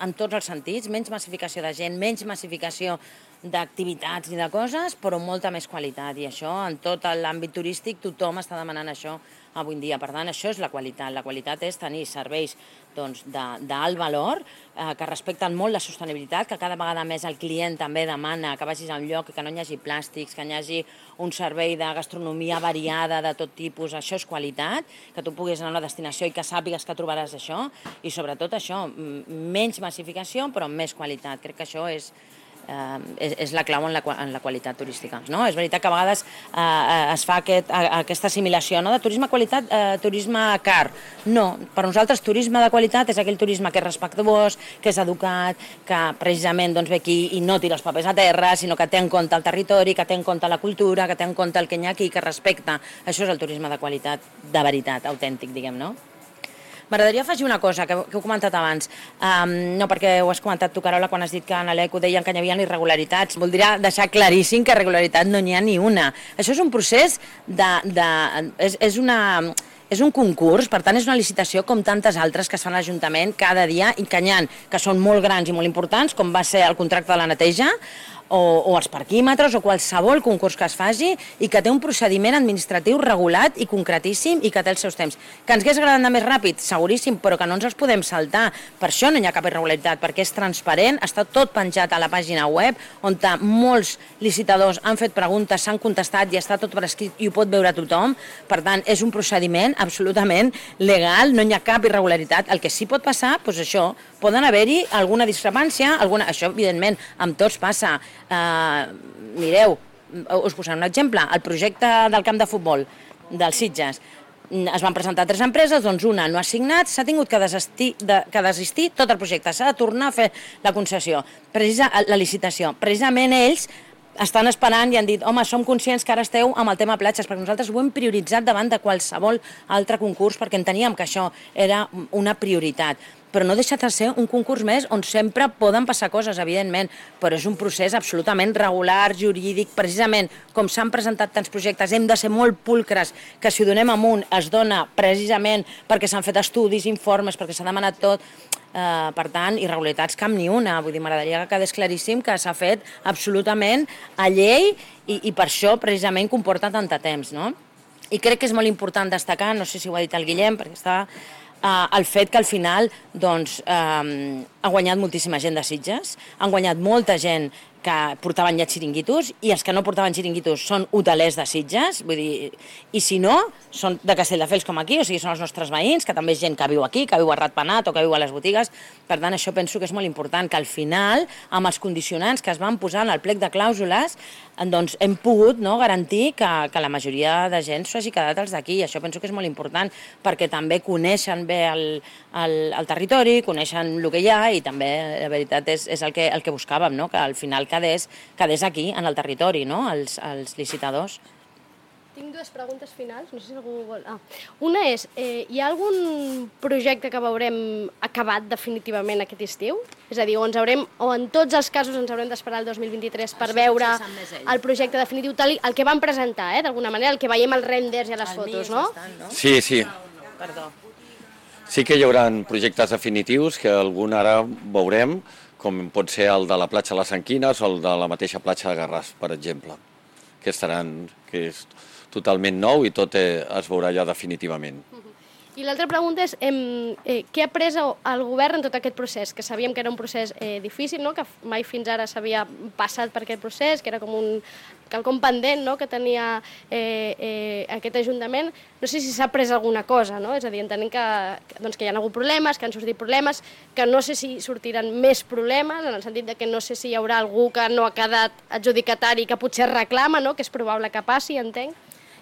en tots els sentits, menys massificació de gent, menys massificació d'activitats i de coses, però molta més qualitat. I això, en tot l'àmbit turístic, tothom està demanant això avui en dia. Per tant, això és la qualitat. La qualitat és tenir serveis doncs, d'alt valor, eh, que respecten molt la sostenibilitat, que cada vegada més el client també demana que vagis a un lloc que no hi hagi plàstics, que hi hagi un servei de gastronomia variada de tot tipus. Això és qualitat, que tu puguis anar a una destinació i que sàpigues que trobaràs això, i sobretot això, menys massificació, però amb més qualitat. Crec que això és... Uh, és, és la clau en la, en la qualitat turística. No? És veritat que a vegades uh, es fa aquest, uh, aquesta assimilació, no? De turisme qualitat, uh, turisme car. No, per nosaltres turisme de qualitat és aquell turisme que és respectuós, que és educat, que precisament doncs, ve aquí i no tira els papers a terra, sinó que té en compte el territori, que té en compte la cultura, que té en compte el que hi ha aquí, que respecta. Això és el turisme de qualitat, de veritat, autèntic, diguem, no? M'agradaria afegir una cosa que, que heu comentat abans, um, no perquè ho has comentat tu, Carola, quan has dit que en l'E C O deien que hi havia irregularitats. Voldria deixar claríssim que irregularitat no n'hi ha ni una. Això és un procés de... de és, és una... És un concurs, per tant és una licitació com tantes altres que es fan a l'Ajuntament cada dia i que n'hi ha, que són molt grans i molt importants, com va ser el contracte de la neteja, o, o els parquímetres, o qualsevol concurs que es faci, i que té un procediment administratiu regulat i concretíssim i que té els seus temps. Que ens hagués agradat anar més ràpid? Seguríssim, però que no ens els podem saltar. Per això no hi ha cap irregularitat, perquè és transparent, està tot penjat a la pàgina web, on molts licitadors han fet preguntes, s'han contestat i està tot per escrit i ho pot veure tothom. Per tant, és un procediment absolutament legal, no hi ha cap irregularitat. El que sí pot passar, doncs això, poden haver-hi alguna discrepància, alguna... això evidentment amb tots passa. Uh, mireu, us posaré un exemple, el projecte del camp de futbol dels Sitges, es van presentar tres empreses, doncs una no ha signat, s'ha tingut que desistir, de, que desistir tot el projecte, s'ha de tornar a fer la concessió, precisa, la licitació. Precisament ells estan esperant i han dit, home, som conscients que ara esteu amb el tema platges, perquè nosaltres ho hem prioritzat davant de qualsevol altre concurs, perquè enteníem que això era una prioritat. Però no deixa de ser un concurs més on sempre poden passar coses, evidentment, però és un procés absolutament regular, jurídic, precisament com s'han presentat tants projectes, hem de ser molt pulcres, que si ho donem amunt es dona precisament perquè s'han fet estudis, informes, perquè s'ha demanat tot. Uh, per tant, irregularitats cap ni una. Vull dir, m'agradaria que quedés claríssim que s'ha fet absolutament a llei i, i per això precisament comporta tant de temps, no? I crec que és molt important destacar, no sé si ho ha dit el Guillem, perquè està... Uh, el fet que al final doncs, um, ha guanyat moltíssima gent de Sitges, han guanyat molta gent que portaven ja xiringuitos, i els que no portaven xiringuitos són hotelers de Sitges, vull dir, i si no, són de Castelldefels com aquí, o sigui, són els nostres veïns, que també és gent que viu aquí, que viu a Ratpenat o que viu a les botigues. Per tant, això penso que és molt important, que al final, amb els condicionants que es van posar en el plec de clàusules, doncs hem pogut no, garantir que, que la majoria de gent s'ho hagi quedat els d'aquí, i això penso que és molt important, perquè també coneixen bé el, el, el territori, coneixen el que hi ha, i també, la veritat, és, és el, que, el que buscàvem, no? Que al final quedés, quedés aquí, en el territori, no? els, els licitadors. Tinc dues preguntes finals, no sé si algú vol... Ah. Una és, eh, hi ha algun projecte que veurem acabat definitivament aquest estiu? És a dir, o, ens haurem, o en tots els casos ens haurem d'esperar el dos mil vint-i-tres per veure el projecte definitiu, tal, el que van presentar, eh, d'alguna manera, el que veiem als renders i a les fotos, no? Bastant, no? Sí, sí. Perdó. Sí que hi haurà projectes definitius, que algun ara veurem, com pot ser el de la platja de les Anquines o el de la mateixa platja de Garràs, per exemple, que estaran, que és totalment nou i tot eh, es veurà ja definitivament. I l'altra pregunta és, eh, eh, què ha pres el govern en tot aquest procés? Que sabíem que era un procés eh, difícil, no? Que mai fins ara s'havia passat per aquest procés, que era com un quelcom pendent, no? Que tenia eh, eh, aquest Ajuntament. No sé si s'ha pres alguna cosa, no? És a dir, entenem que, doncs, que hi ha hagut problemes, que han sortit problemes, que no sé si sortiran més problemes, en el sentit de que no sé si hi haurà algú que no ha quedat adjudicatari que potser reclama, no? Que és probable que passi, entenc.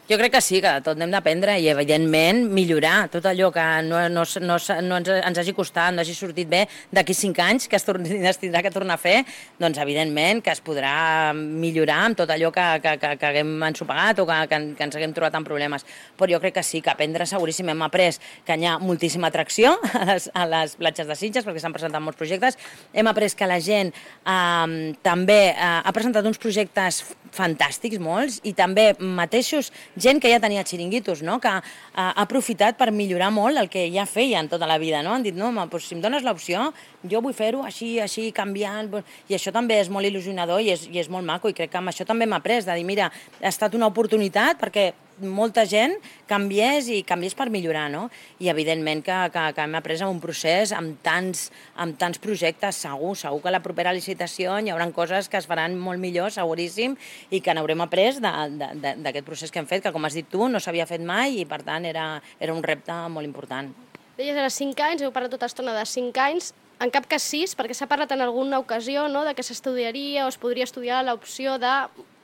Jo crec que sí, que tot n'hem d'aprendre i, evidentment, millorar tot allò que no, no, no, no ens, ens hagi costat, no hagi sortit bé d'aquí cinc anys, que es, torni, es tindrà que tornar a fer, doncs, evidentment, que es podrà millorar amb tot allò que, que, que, que haguem ensopegat o que, que, que ens haguem trobat en problemes. Però jo crec que sí, que aprendre seguríssim. Hem après que hi ha moltíssima atracció a les, a les platges de Sitges, perquè s'han presentat molts projectes. Hem après que la gent eh, també eh, ha presentat uns projectes fantàstics, molts, i també mateixos gent que ja tenia xiringuitos, no? Que uh, ha aprofitat per millorar molt el que ja feien tota la vida, no? Han dit, no, home, doncs, si em dones l'opció, jo vull fer-ho així, així, canviant, i això també és molt il·lusionador i és, i és molt maco, i crec que amb això també m'ha après, de dir, mira, ha estat una oportunitat perquè molta gent canviés i canviés per millorar, no? I evidentment que, que, que hem après un procés amb tants, amb tants projectes, segur, segur que a la propera licitació hi haurà coses que es faran molt millor, seguríssim, i que n'haurem après d'aquest procés que hem fet, que com has dit tu, no s'havia fet mai i per tant era, era un repte molt important. Deies, era cinc anys, heu parlat tota estona de cinc anys, en cap cas sis, perquè s'ha parlat en alguna ocasió, no?, de que s'estudiaria o es podria estudiar l'opció de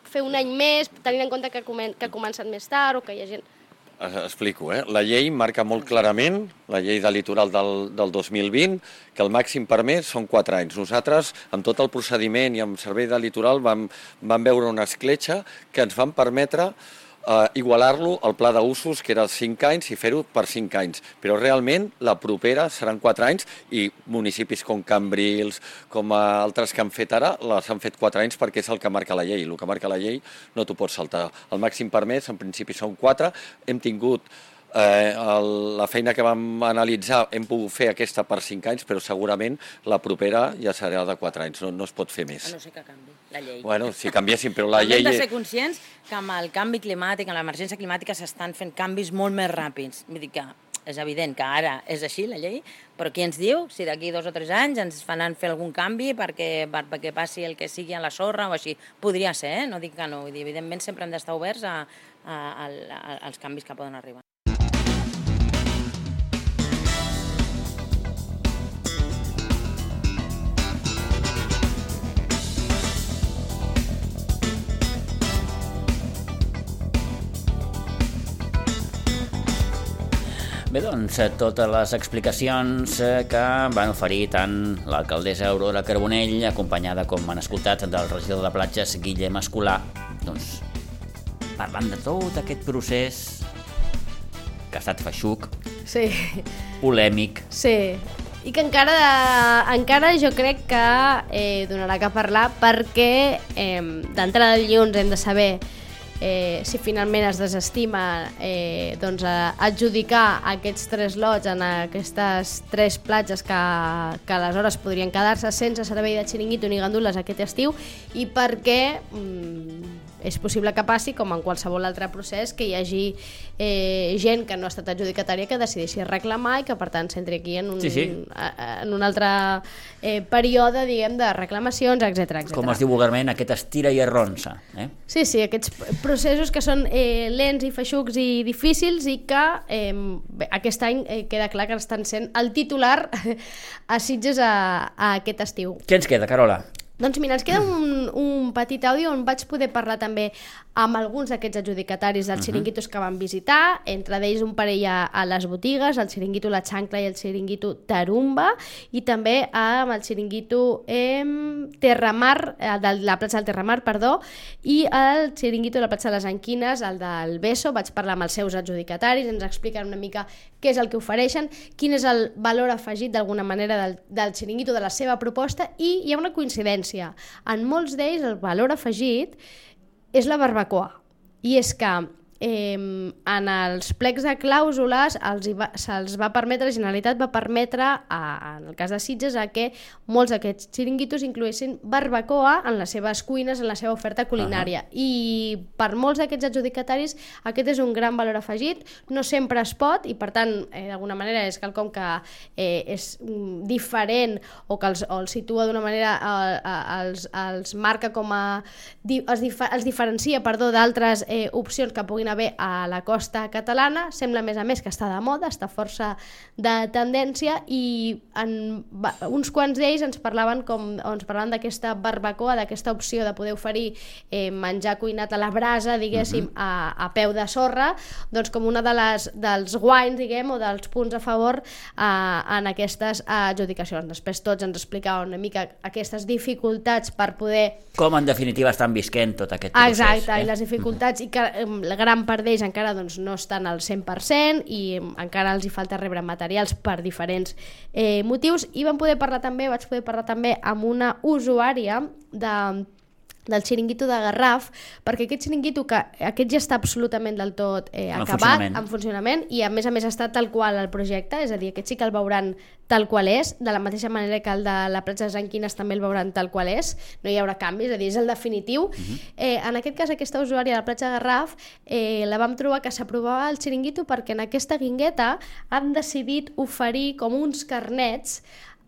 fer un any més, tenint en compte que, comen que ha començat més tard o que hi ha gent... Explico, eh? La llei marca molt clarament, la llei de litoral del, del dos mil vint, que el màxim permès són quatre anys. Nosaltres, amb tot el procediment i amb servei de litoral, vam, vam veure una escletxa que ens van permetre Uh, igualar-lo al pla d'usos, que era cinc anys, i fer-ho per cinc anys. Però realment la propera seran quatre anys i municipis com Cambrils, com altres que han fet ara, les han fet quatre anys perquè és el que marca la llei. El que marca la llei no t'ho pots saltar. El màxim permès, en principi, són quatre. Hem tingut eh, el, la feina que vam analitzar, hem pogut fer aquesta per cinc anys, però segurament la propera ja serà de quatre anys. No, no es pot fer més. A no ser que canvi la llei. Bueno, si canviéssim, però la llei... Hem de ser conscients que amb el canvi climàtic, amb l'emergència climàtica, s'estan fent canvis molt més ràpids. Vull dir que és evident que ara és així, la llei, però qui ens diu si d'aquí dos o tres anys ens faran fer algun canvi perquè, per, perquè passi el que sigui a la sorra o així. Podria ser, eh? No dic que no. Vull dir, evidentment sempre hem d'estar oberts a, a, a, a, als canvis que poden arribar. Bé, doncs, totes les explicacions que van oferir tant l'alcaldessa Aurora Carbonell, acompanyada, com han escoltat, del regidor de platges, Guillem Escolà, doncs, parlant de tot aquest procés que ha estat feixuc, sí. polèmic. Sí, i que encara, encara jo crec que eh, donarà que parlar perquè eh, d'entrada de dilluns hem de saber Eh, si finalment es desestima eh, doncs, adjudicar aquests tres lots en aquestes tres platges que, que aleshores podrien quedar-se sense servei de xiringuito ni gandules aquest estiu, i perquè mm, és possible que passi, com en qualsevol altre procés, que hi hagi eh, gent que no ha estat adjudicatària que decideixi reclamar i que per tant s'entri aquí en un, sí, sí. en un altre eh, període, diguem, de reclamacions, etcètera, etcètera. Com es diu vulgarment, aquest estira i arronsa. Eh? Sí, sí, aquests processos que són eh, lents i feixucs i difícils i que eh, bé, aquest any eh, queda clar que estan sent el titular a Sitges a, a aquest estiu. Què ens queda, Carola? Doncs mira, ens queda un, un petit àudio on vaig poder parlar també amb alguns d'aquests adjudicataris dels xiringuitos que van visitar, entre d'ells un parell a, a les botigues, el xiringuito La Xancla i el xiringuito Tarumba, i també amb el xiringuito eh, Terramar, el de la platja del Terramar, perdó, i el xiringuito de la platja de les Anquines, el del Beso. Vaig parlar amb els seus adjudicataris, ens expliquen una mica què és el que ofereixen, quin és el valor afegit d'alguna manera del, del xiringuito, de la seva proposta, i hi ha una coincidència. En molts d'ells el valor afegit és la barbacoa, i és que eh, en els plecs de clàusules els va, se'ls va permetre, la Generalitat va permetre, a, en el cas de Sitges, a que molts d'aquests xiringuitos incloguessin barbacoa en les seves cuines, en la seva oferta culinària. Uh-huh. I per molts d'aquests adjudicataris aquest és un gran valor afegit, no sempre es pot, i per tant, eh, d'alguna manera és quelcom que eh, és diferent o que els, o els situa d'una manera, eh, els, els marca com a... Els, dif els diferencia, perdó, d'altres eh, opcions que puguin puguin haver a la costa catalana. Sembla, a més a més, que està de moda, està força de tendència, i en, uns quants d'ells ens parlaven com, ens parlaven d'aquesta barbacoa, d'aquesta opció de poder oferir eh, menjar cuinat a la brasa, diguéssim, uh-huh. a, a peu de sorra, doncs com una de les, dels guanys, diguem, o dels punts a favor eh, en aquestes adjudicacions. Després tots ens explicaven una mica aquestes dificultats per poder... Com en definitiva estan visquent tot aquest procés. Exacte, eh? i les dificultats, uh-huh. i que la gran part d'ells encara doncs, no estan al cent per cent i encara els hi falta rebre materials per diferents eh, motius. I vam poder parlar també, vaig poder parlar també amb una usuària de del xiringuito de Garraf, perquè aquest xiringuito, que aquest ja està absolutament del tot eh, en acabat, funcionament. en funcionament, i a més a més està tal qual el projecte, és a dir, aquest sí que el veuran tal qual és, de la mateixa manera que el de la platja de Sant Quines també el veuran tal qual és, no hi haurà canvis, és a dir, és el definitiu. Uh-huh. eh, en aquest cas, aquesta usuària de la platja de Garraf eh, la vam trobar que s'aprovava el xiringuito perquè en aquesta guingueta han decidit oferir com uns carnets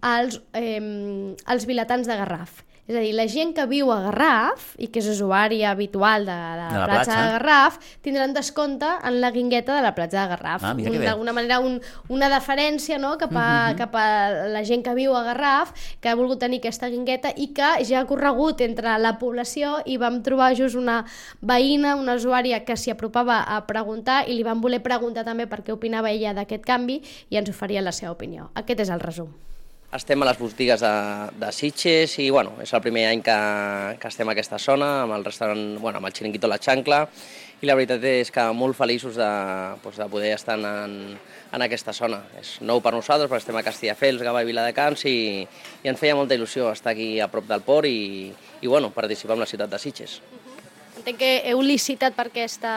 als, eh, als vilatans de Garraf. És a dir, la gent que viu a Garraf i que és usuària habitual de, de, de la platja, platja de Garraf tindran descompte en la guingueta de la platja de Garraf. Ah, mira que bé. D'alguna manera un, una deferència, no?, cap, a, uh-huh. cap a la gent que viu a Garraf, que ha volgut tenir aquesta guingueta i que ja ha corregut entre la població, i vam trobar just una veïna, una usuària que s'hi apropava a preguntar, i li vam voler preguntar també per què opinava ella d'aquest canvi, i ens oferia la seva opinió. Aquest és el resum. Estem a les botigues de, de Sitges i bueno, és el primer any que, que estem a aquesta zona, amb el restaurant, bueno, amb el xiringuito La Xancla, i la veritat és que molt feliços de, doncs, de poder estar en, en aquesta zona. És nou per nosaltres, perquè estem a Castelldefels, Gavà i Viladecans, i, i ens feia molta il·lusió estar aquí a prop del port i, i bueno, participar en la ciutat de Sitges. Entenc que heu licitat per, aquesta,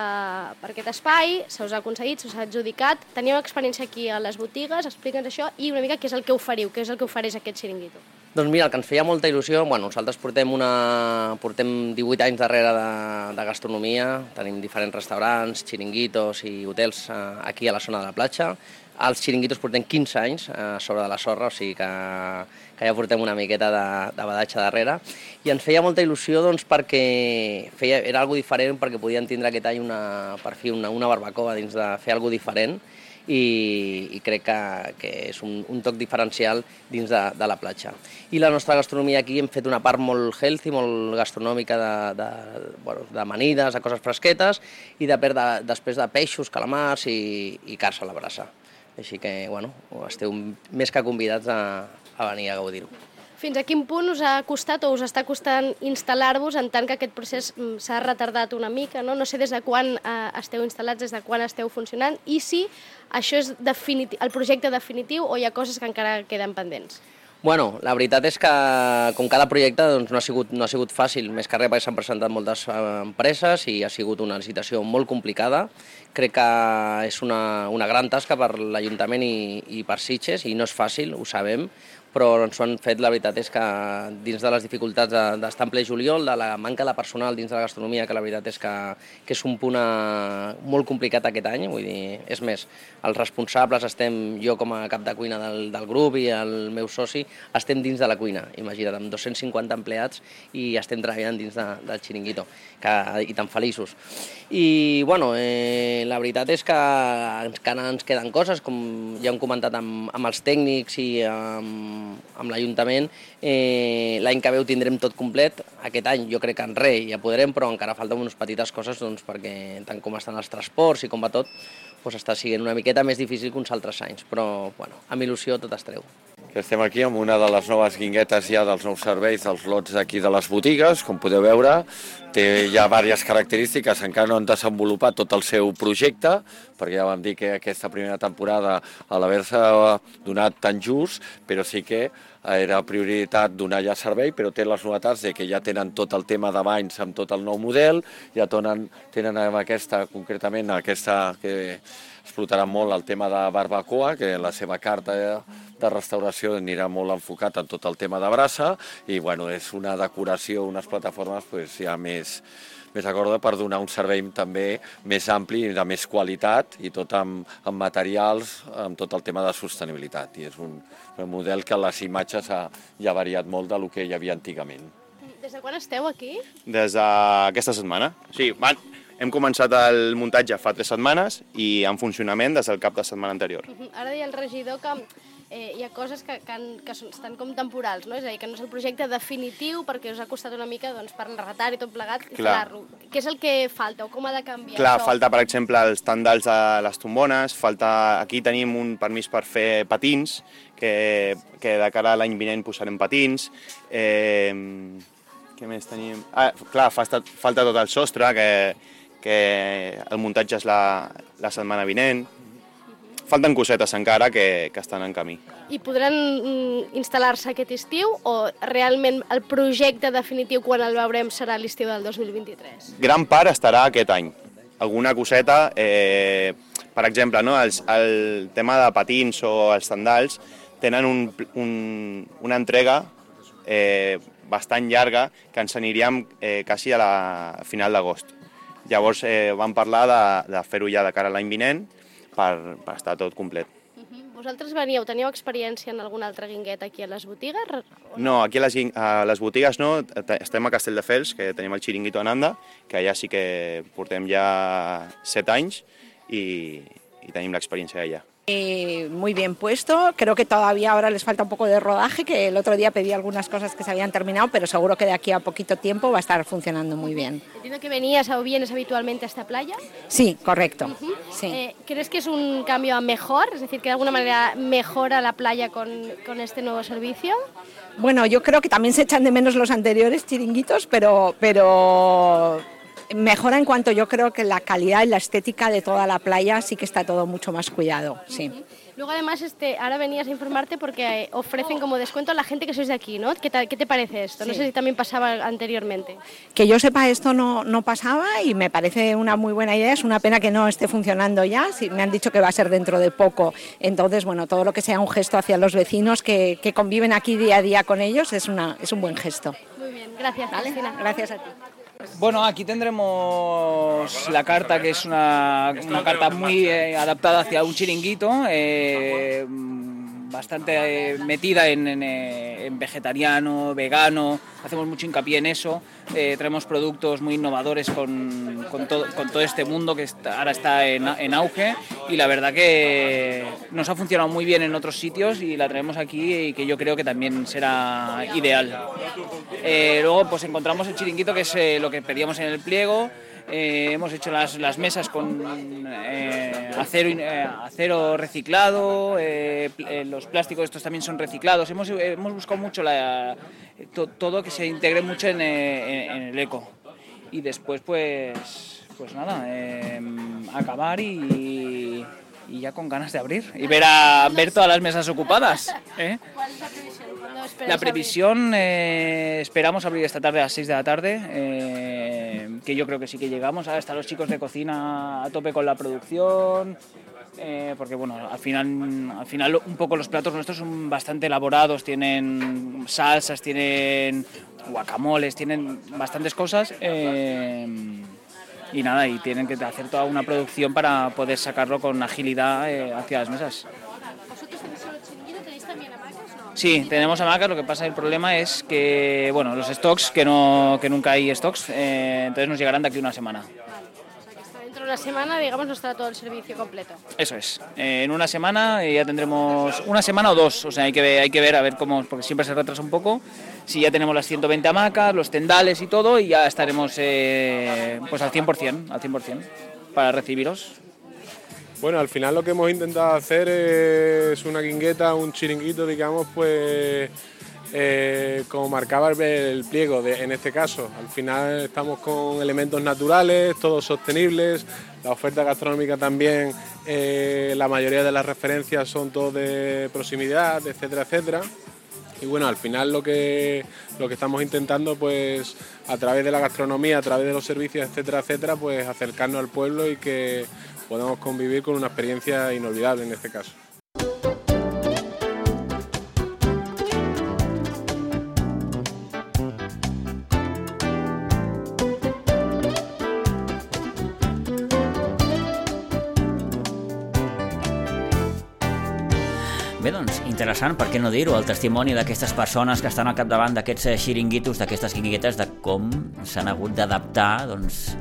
per aquest espai, se us ha aconseguit, se us ha adjudicat. Teníeu experiència aquí a les botigues, explica'ns això i una mica què és el que oferiu, què és el que ofereix aquest xiringuito. Doncs mira, el que ens feia molta il·lusió, bueno, nosaltres portem, una, portem divuit anys darrere de, de gastronomia, tenim diferents restaurants, xiringuitos i hotels eh, aquí a la zona de la platja. Els xiringuitos portem quinze anys eh, sobre de la sorra, o sigui que, que ja portem una miqueta de, de badatge darrere. I ens feia molta il·lusió doncs, perquè feia, era algo diferent, perquè podien tindre aquest any una, per fi una, una barbacoa dins de fer algo diferent, i, i crec que, que és un, un toc diferencial dins de, de la platja. I la nostra gastronomia aquí hem fet una part molt healthy, molt gastronòmica de, de, bueno, de amanides, de coses fresquetes, i de, de, després de peixos, calamars i, i carns a la brasa. Així que, bueno, esteu més que convidats a, a venir a gaudir-ho. Fins a quin punt us ha costat o us està costant instal·lar-vos, en tant que aquest procés s'ha retardat una mica, no? No sé des de quan eh, esteu instal·lats, des de quan esteu funcionant, i si això és definitiu, el projecte definitiu o hi ha coses que encara queden pendents. Bueno, la veritat és que, com cada projecte, doncs, no, ha sigut, no ha sigut fàcil, més que res perquè s'han presentat moltes empreses i ha sigut una licitació molt complicada. Crec que és una, una gran tasca per l'Ajuntament i, i per Sitges, i no és fàcil, ho sabem, però ens ho han fet, la veritat és que dins de les dificultats d'estar en ple juliol, de la manca de personal dins de la gastronomia, que la veritat és que, que és un punt a, molt complicat aquest any, vull dir, és més, els responsables estem, jo com a cap de cuina del, del grup i el meu soci, estem dins de la cuina, imagina't, amb dos-cents cinquanta empleats i estem treballant dins de, del xiringuito, que, i tan feliços. I, bueno, eh, la veritat és que encara ens queden coses, com ja hem comentat amb, amb els tècnics i amb amb l'Ajuntament, eh, l'any que ve ho tindrem tot complet. Aquest any jo crec que en res ja podrem, però encara falten unes petites coses, doncs, perquè tant com estan els transports i com va tot, doncs està sent una miqueta més difícil que uns altres anys, però bueno, amb il·lusió tot estareu. Estem aquí amb una de les noves guinguetes ja dels nous serveis dels lots d'aquí de les botigues, com podeu veure. Té ja diverses característiques, encara no han desenvolupat tot el seu projecte, perquè ja vam dir que aquesta primera temporada a l'haver-se donat tan just, però sí que era prioritat donar ja servei, però té les novetats de que ja tenen tot el tema de banys amb tot el nou model, ja tenen, tenen aquesta, concretament aquesta que explotarà molt el tema de barbacoa, que la seva carta de restauració anirà molt enfocat en tot el tema de brasa, i bueno, és una decoració, unes plataformes pues, ja més, més acorda per donar un servei també més ampli i de més qualitat, i tot amb, amb materials, amb tot el tema de sostenibilitat. I és un, un model que les imatges ha, ja ha variat molt del que hi havia antigament. Des de quan esteu aquí? Des d'aquesta setmana. Sí, van, Hem començat el muntatge fa tres setmanes i en funcionament des del cap de setmana anterior. Ara deia el regidor que eh, hi ha coses que, que, han, que són, estan com temporals, no? És a dir, que no és el projecte definitiu perquè us ha costat una mica doncs, per l'enretar i tot plegat instal·lar-lo. Què és el que falta o com ha de canviar Clar, això? falta, per exemple, els tendals de les tombones, falta... aquí tenim un permís per fer patins, que, que de cara a l'any vinent posarem patins. Eh, què més tenim? Ah, clar, falta, falta tot el sostre, que, que el muntatge és la, la setmana vinent. Falten cosetes encara que, que estan en camí. I podran mm, instal·lar-se aquest estiu o realment el projecte definitiu quan el veurem serà l'estiu del dos mil vint-i-tres? Gran part estarà aquest any. Alguna coseta, eh, per exemple, no, els, el tema de patins o els tendals tenen un, un, una entrega eh, bastant llarga que ens aniríem eh, quasi a la a final d'agost. Llavors eh, vam parlar de, de fer-ho ja de cara a l'any vinent per, per estar tot complet. Uh-huh. Vosaltres veníeu, teníeu experiència en alguna altra guingueta aquí a les botigues? No, aquí a les, a les botigues no, estem a Castelldefels, que tenim el Chiringuito Ananda, que allà sí que portem ja set anys i, i tenim l'experiència allà. Eh, muy bien puesto, creo que todavía ahora les falta un poco de rodaje, que el otro día pedí algunas cosas que se habían terminado, pero seguro que de aquí a poquito tiempo va a estar funcionando muy bien. Entiendo que venías o vienes habitualmente a esta playa. Sí, correcto. Uh-huh. Sí. Eh, ¿Crees que es un cambio a mejor? Es decir, que de alguna manera mejora la playa con, con este nuevo servicio. Bueno, yo creo que también se echan de menos los anteriores chiringuitos, pero... pero... mejora en cuanto yo creo que la calidad y la estética de toda la playa sí que está todo mucho más cuidado, sí. Uh-huh. Luego además este, ahora venías a informarte porque ofrecen como descuento a la gente que sois de aquí, ¿no? ¿Qué, tal, qué te parece esto? Sí. No sé si también pasaba anteriormente. Que yo sepa esto no, no pasaba y me parece una muy buena idea, es una pena que no esté funcionando ya, sí, me han dicho que va a ser dentro de poco, entonces bueno, todo lo que sea un gesto hacia los vecinos que, que conviven aquí día a día con ellos es, una, es un buen gesto. Muy bien, gracias, ¿Vale? Cristina. Gracias a ti. Bueno, aquí tendremos la carta, que es una, una carta muy eh, adaptada hacia un chiringuito, eh, bastante eh, metida en, en, en vegetariano, vegano, hacemos mucho hincapié en eso, eh, traemos productos muy innovadores con, con, todo, con todo este mundo que está, ahora está en, en auge, y la verdad que nos ha funcionado muy bien en otros sitios y la traemos aquí y que yo creo que también será ideal. Eh, luego pues encontramos el chiringuito, que es eh, lo que pedíamos en el pliego. Eh, hemos hecho las, las mesas con eh, acero, eh, acero reciclado, eh, eh, los plásticos estos también son reciclados. Hemos, eh, hemos buscado mucho la, to, todo que se integre mucho en, eh, en el eco. Y después pues, pues nada, eh, acabar y, y ya con ganas de abrir y ver, a, ver todas las mesas ocupadas. ¿eh? ¿Cuál es la previsión? ¿Cuándo esperas La previsión, eh, esperamos abrir esta tarde a las seis de la tarde, eh, que yo creo que sí que llegamos. Ahora están los chicos de cocina a tope con la producción, eh, porque bueno, al final, al final un poco los platos nuestros son bastante elaborados, tienen salsas, tienen guacamoles, tienen bastantes cosas. Eh, y nada, y tienen que hacer toda una producción para poder sacarlo con agilidad eh, hacia las mesas. ¿Vosotros tenéis solo chiringuito? ¿Tenéis también hamacas? No. Sí, tenemos hamacas, lo que pasa, el problema es que, bueno, los stocks, que, no, que nunca hay stocks, eh, entonces nos llegarán de aquí una semana. Vale, o sea que hasta dentro de una semana, digamos, no estará todo el servicio completo. Eso es, eh, en una semana ya tendremos, una semana o dos, o sea, hay que ver, hay que ver a ver cómo, porque siempre se retrasa un poco, si ya tenemos las ciento veinte hamacas, los tendales y todo, y ya estaremos eh, pues al cien por ciento, al cien por ciento para recibiros. Bueno, al final lo que hemos intentado hacer es una guingueta, un chiringuito, digamos, pues eh, como marcaba el, el pliego de, en este caso. Al final estamos con elementos naturales, todos sostenibles, la oferta gastronómica también, eh, la mayoría de las referencias son todos de proximidad, etcétera, etcétera. Y bueno, al final lo que, lo que estamos intentando, pues a través de la gastronomía, a través de los servicios, etcétera, etcétera, pues acercarnos al pueblo y que podamos convivir con una experiencia inolvidable en este caso. Bé, doncs, interessant, per què no dir-ho, el testimoni d'aquestes persones que estan al capdavant d'aquests xiringuitos, d'aquestes quinguetes, de com s'han hagut d'adaptar, doncs,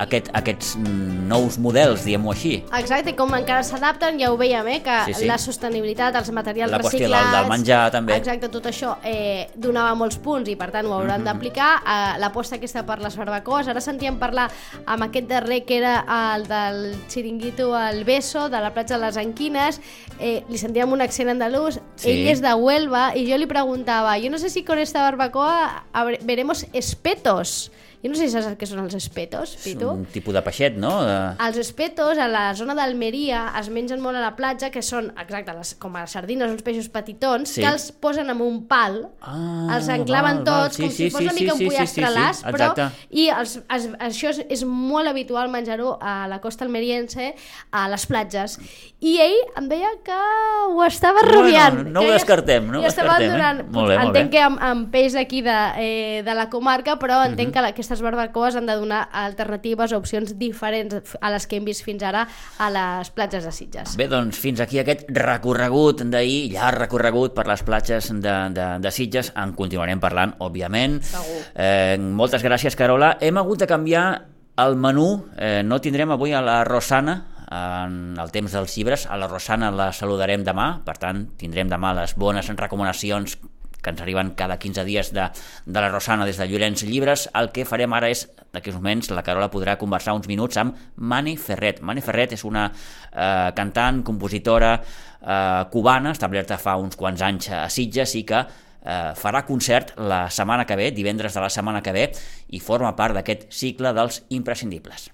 aquest, aquests nous models, diguem-ho així. Exacte, i com encara s'adapten, ja ho veiem, eh, que Sí, sí. la sostenibilitat, els materials La qüestió reciclats... del, del menjar, també. Exacte, tot això eh, donava molts punts i, per tant, ho hauran Mhm. d'aplicar. Eh, L'aposta aquesta per les barbacoes. Ara sentíem parlar amb aquest darrer que era el del xiringuito al Beso, de la platja de les Anquines. Eh, li sentíem un accent andalús. Sí. Ell és de Huelva i jo li preguntava, jo no sé si con esta barbacoa habre- veremos espetos. Jo no sé si saps què són els espetos, Pitu. Un tipus de peixet, no? De... Els espetos, a la zona d'Almeria, es mengen molt a la platja, que són, exacte, les, com a sardines, uns peixos petitons, Sí. que els posen amb un pal, Ah, els enclaven val, val. tots, Sí, com sí, si fos sí, una mica sí, un sí, pollastre sí, sí, las, sí, però... exacte. I els, els, això és, és molt habitual menjar-ho a la costa almeriense, a les platges. I ell em deia que ho estava Bueno, rumiant. no ho que ja- descartem, no ho ja estaven descartem, eh? donant- Molt bé, molt entenc bé. que amb, amb peix d'aquí de, eh, de la comarca, però entenc Mhm. que la- aquestes barbacoes han de donar alternatives o opcions diferents a les que hem vist fins ara a les platges de Sitges. Bé, doncs fins aquí aquest recorregut d'ahir, llarg recorregut per les platges de, de, de Sitges. En continuarem parlant, òbviament. Segur. Eh, moltes gràcies, Carola. Hem hagut de canviar el menú. Eh, no tindrem avui a la Rosana en el temps dels llibres. A la Rosana la saludarem demà, per tant, tindrem demà les bones recomanacions que ens arriben cada quinze dies de, de la Rosana des de Llorenç Llibres. El que farem ara és, d'aquí uns moments, la Carola podrà conversar uns minuts amb Mani Ferret. Mani Ferret és una eh, cantant, compositora eh, cubana, establerta fa uns quants anys a Sitges i que eh, farà concert la setmana que ve, divendres de la setmana que ve, i forma part d'aquest cicle dels imprescindibles.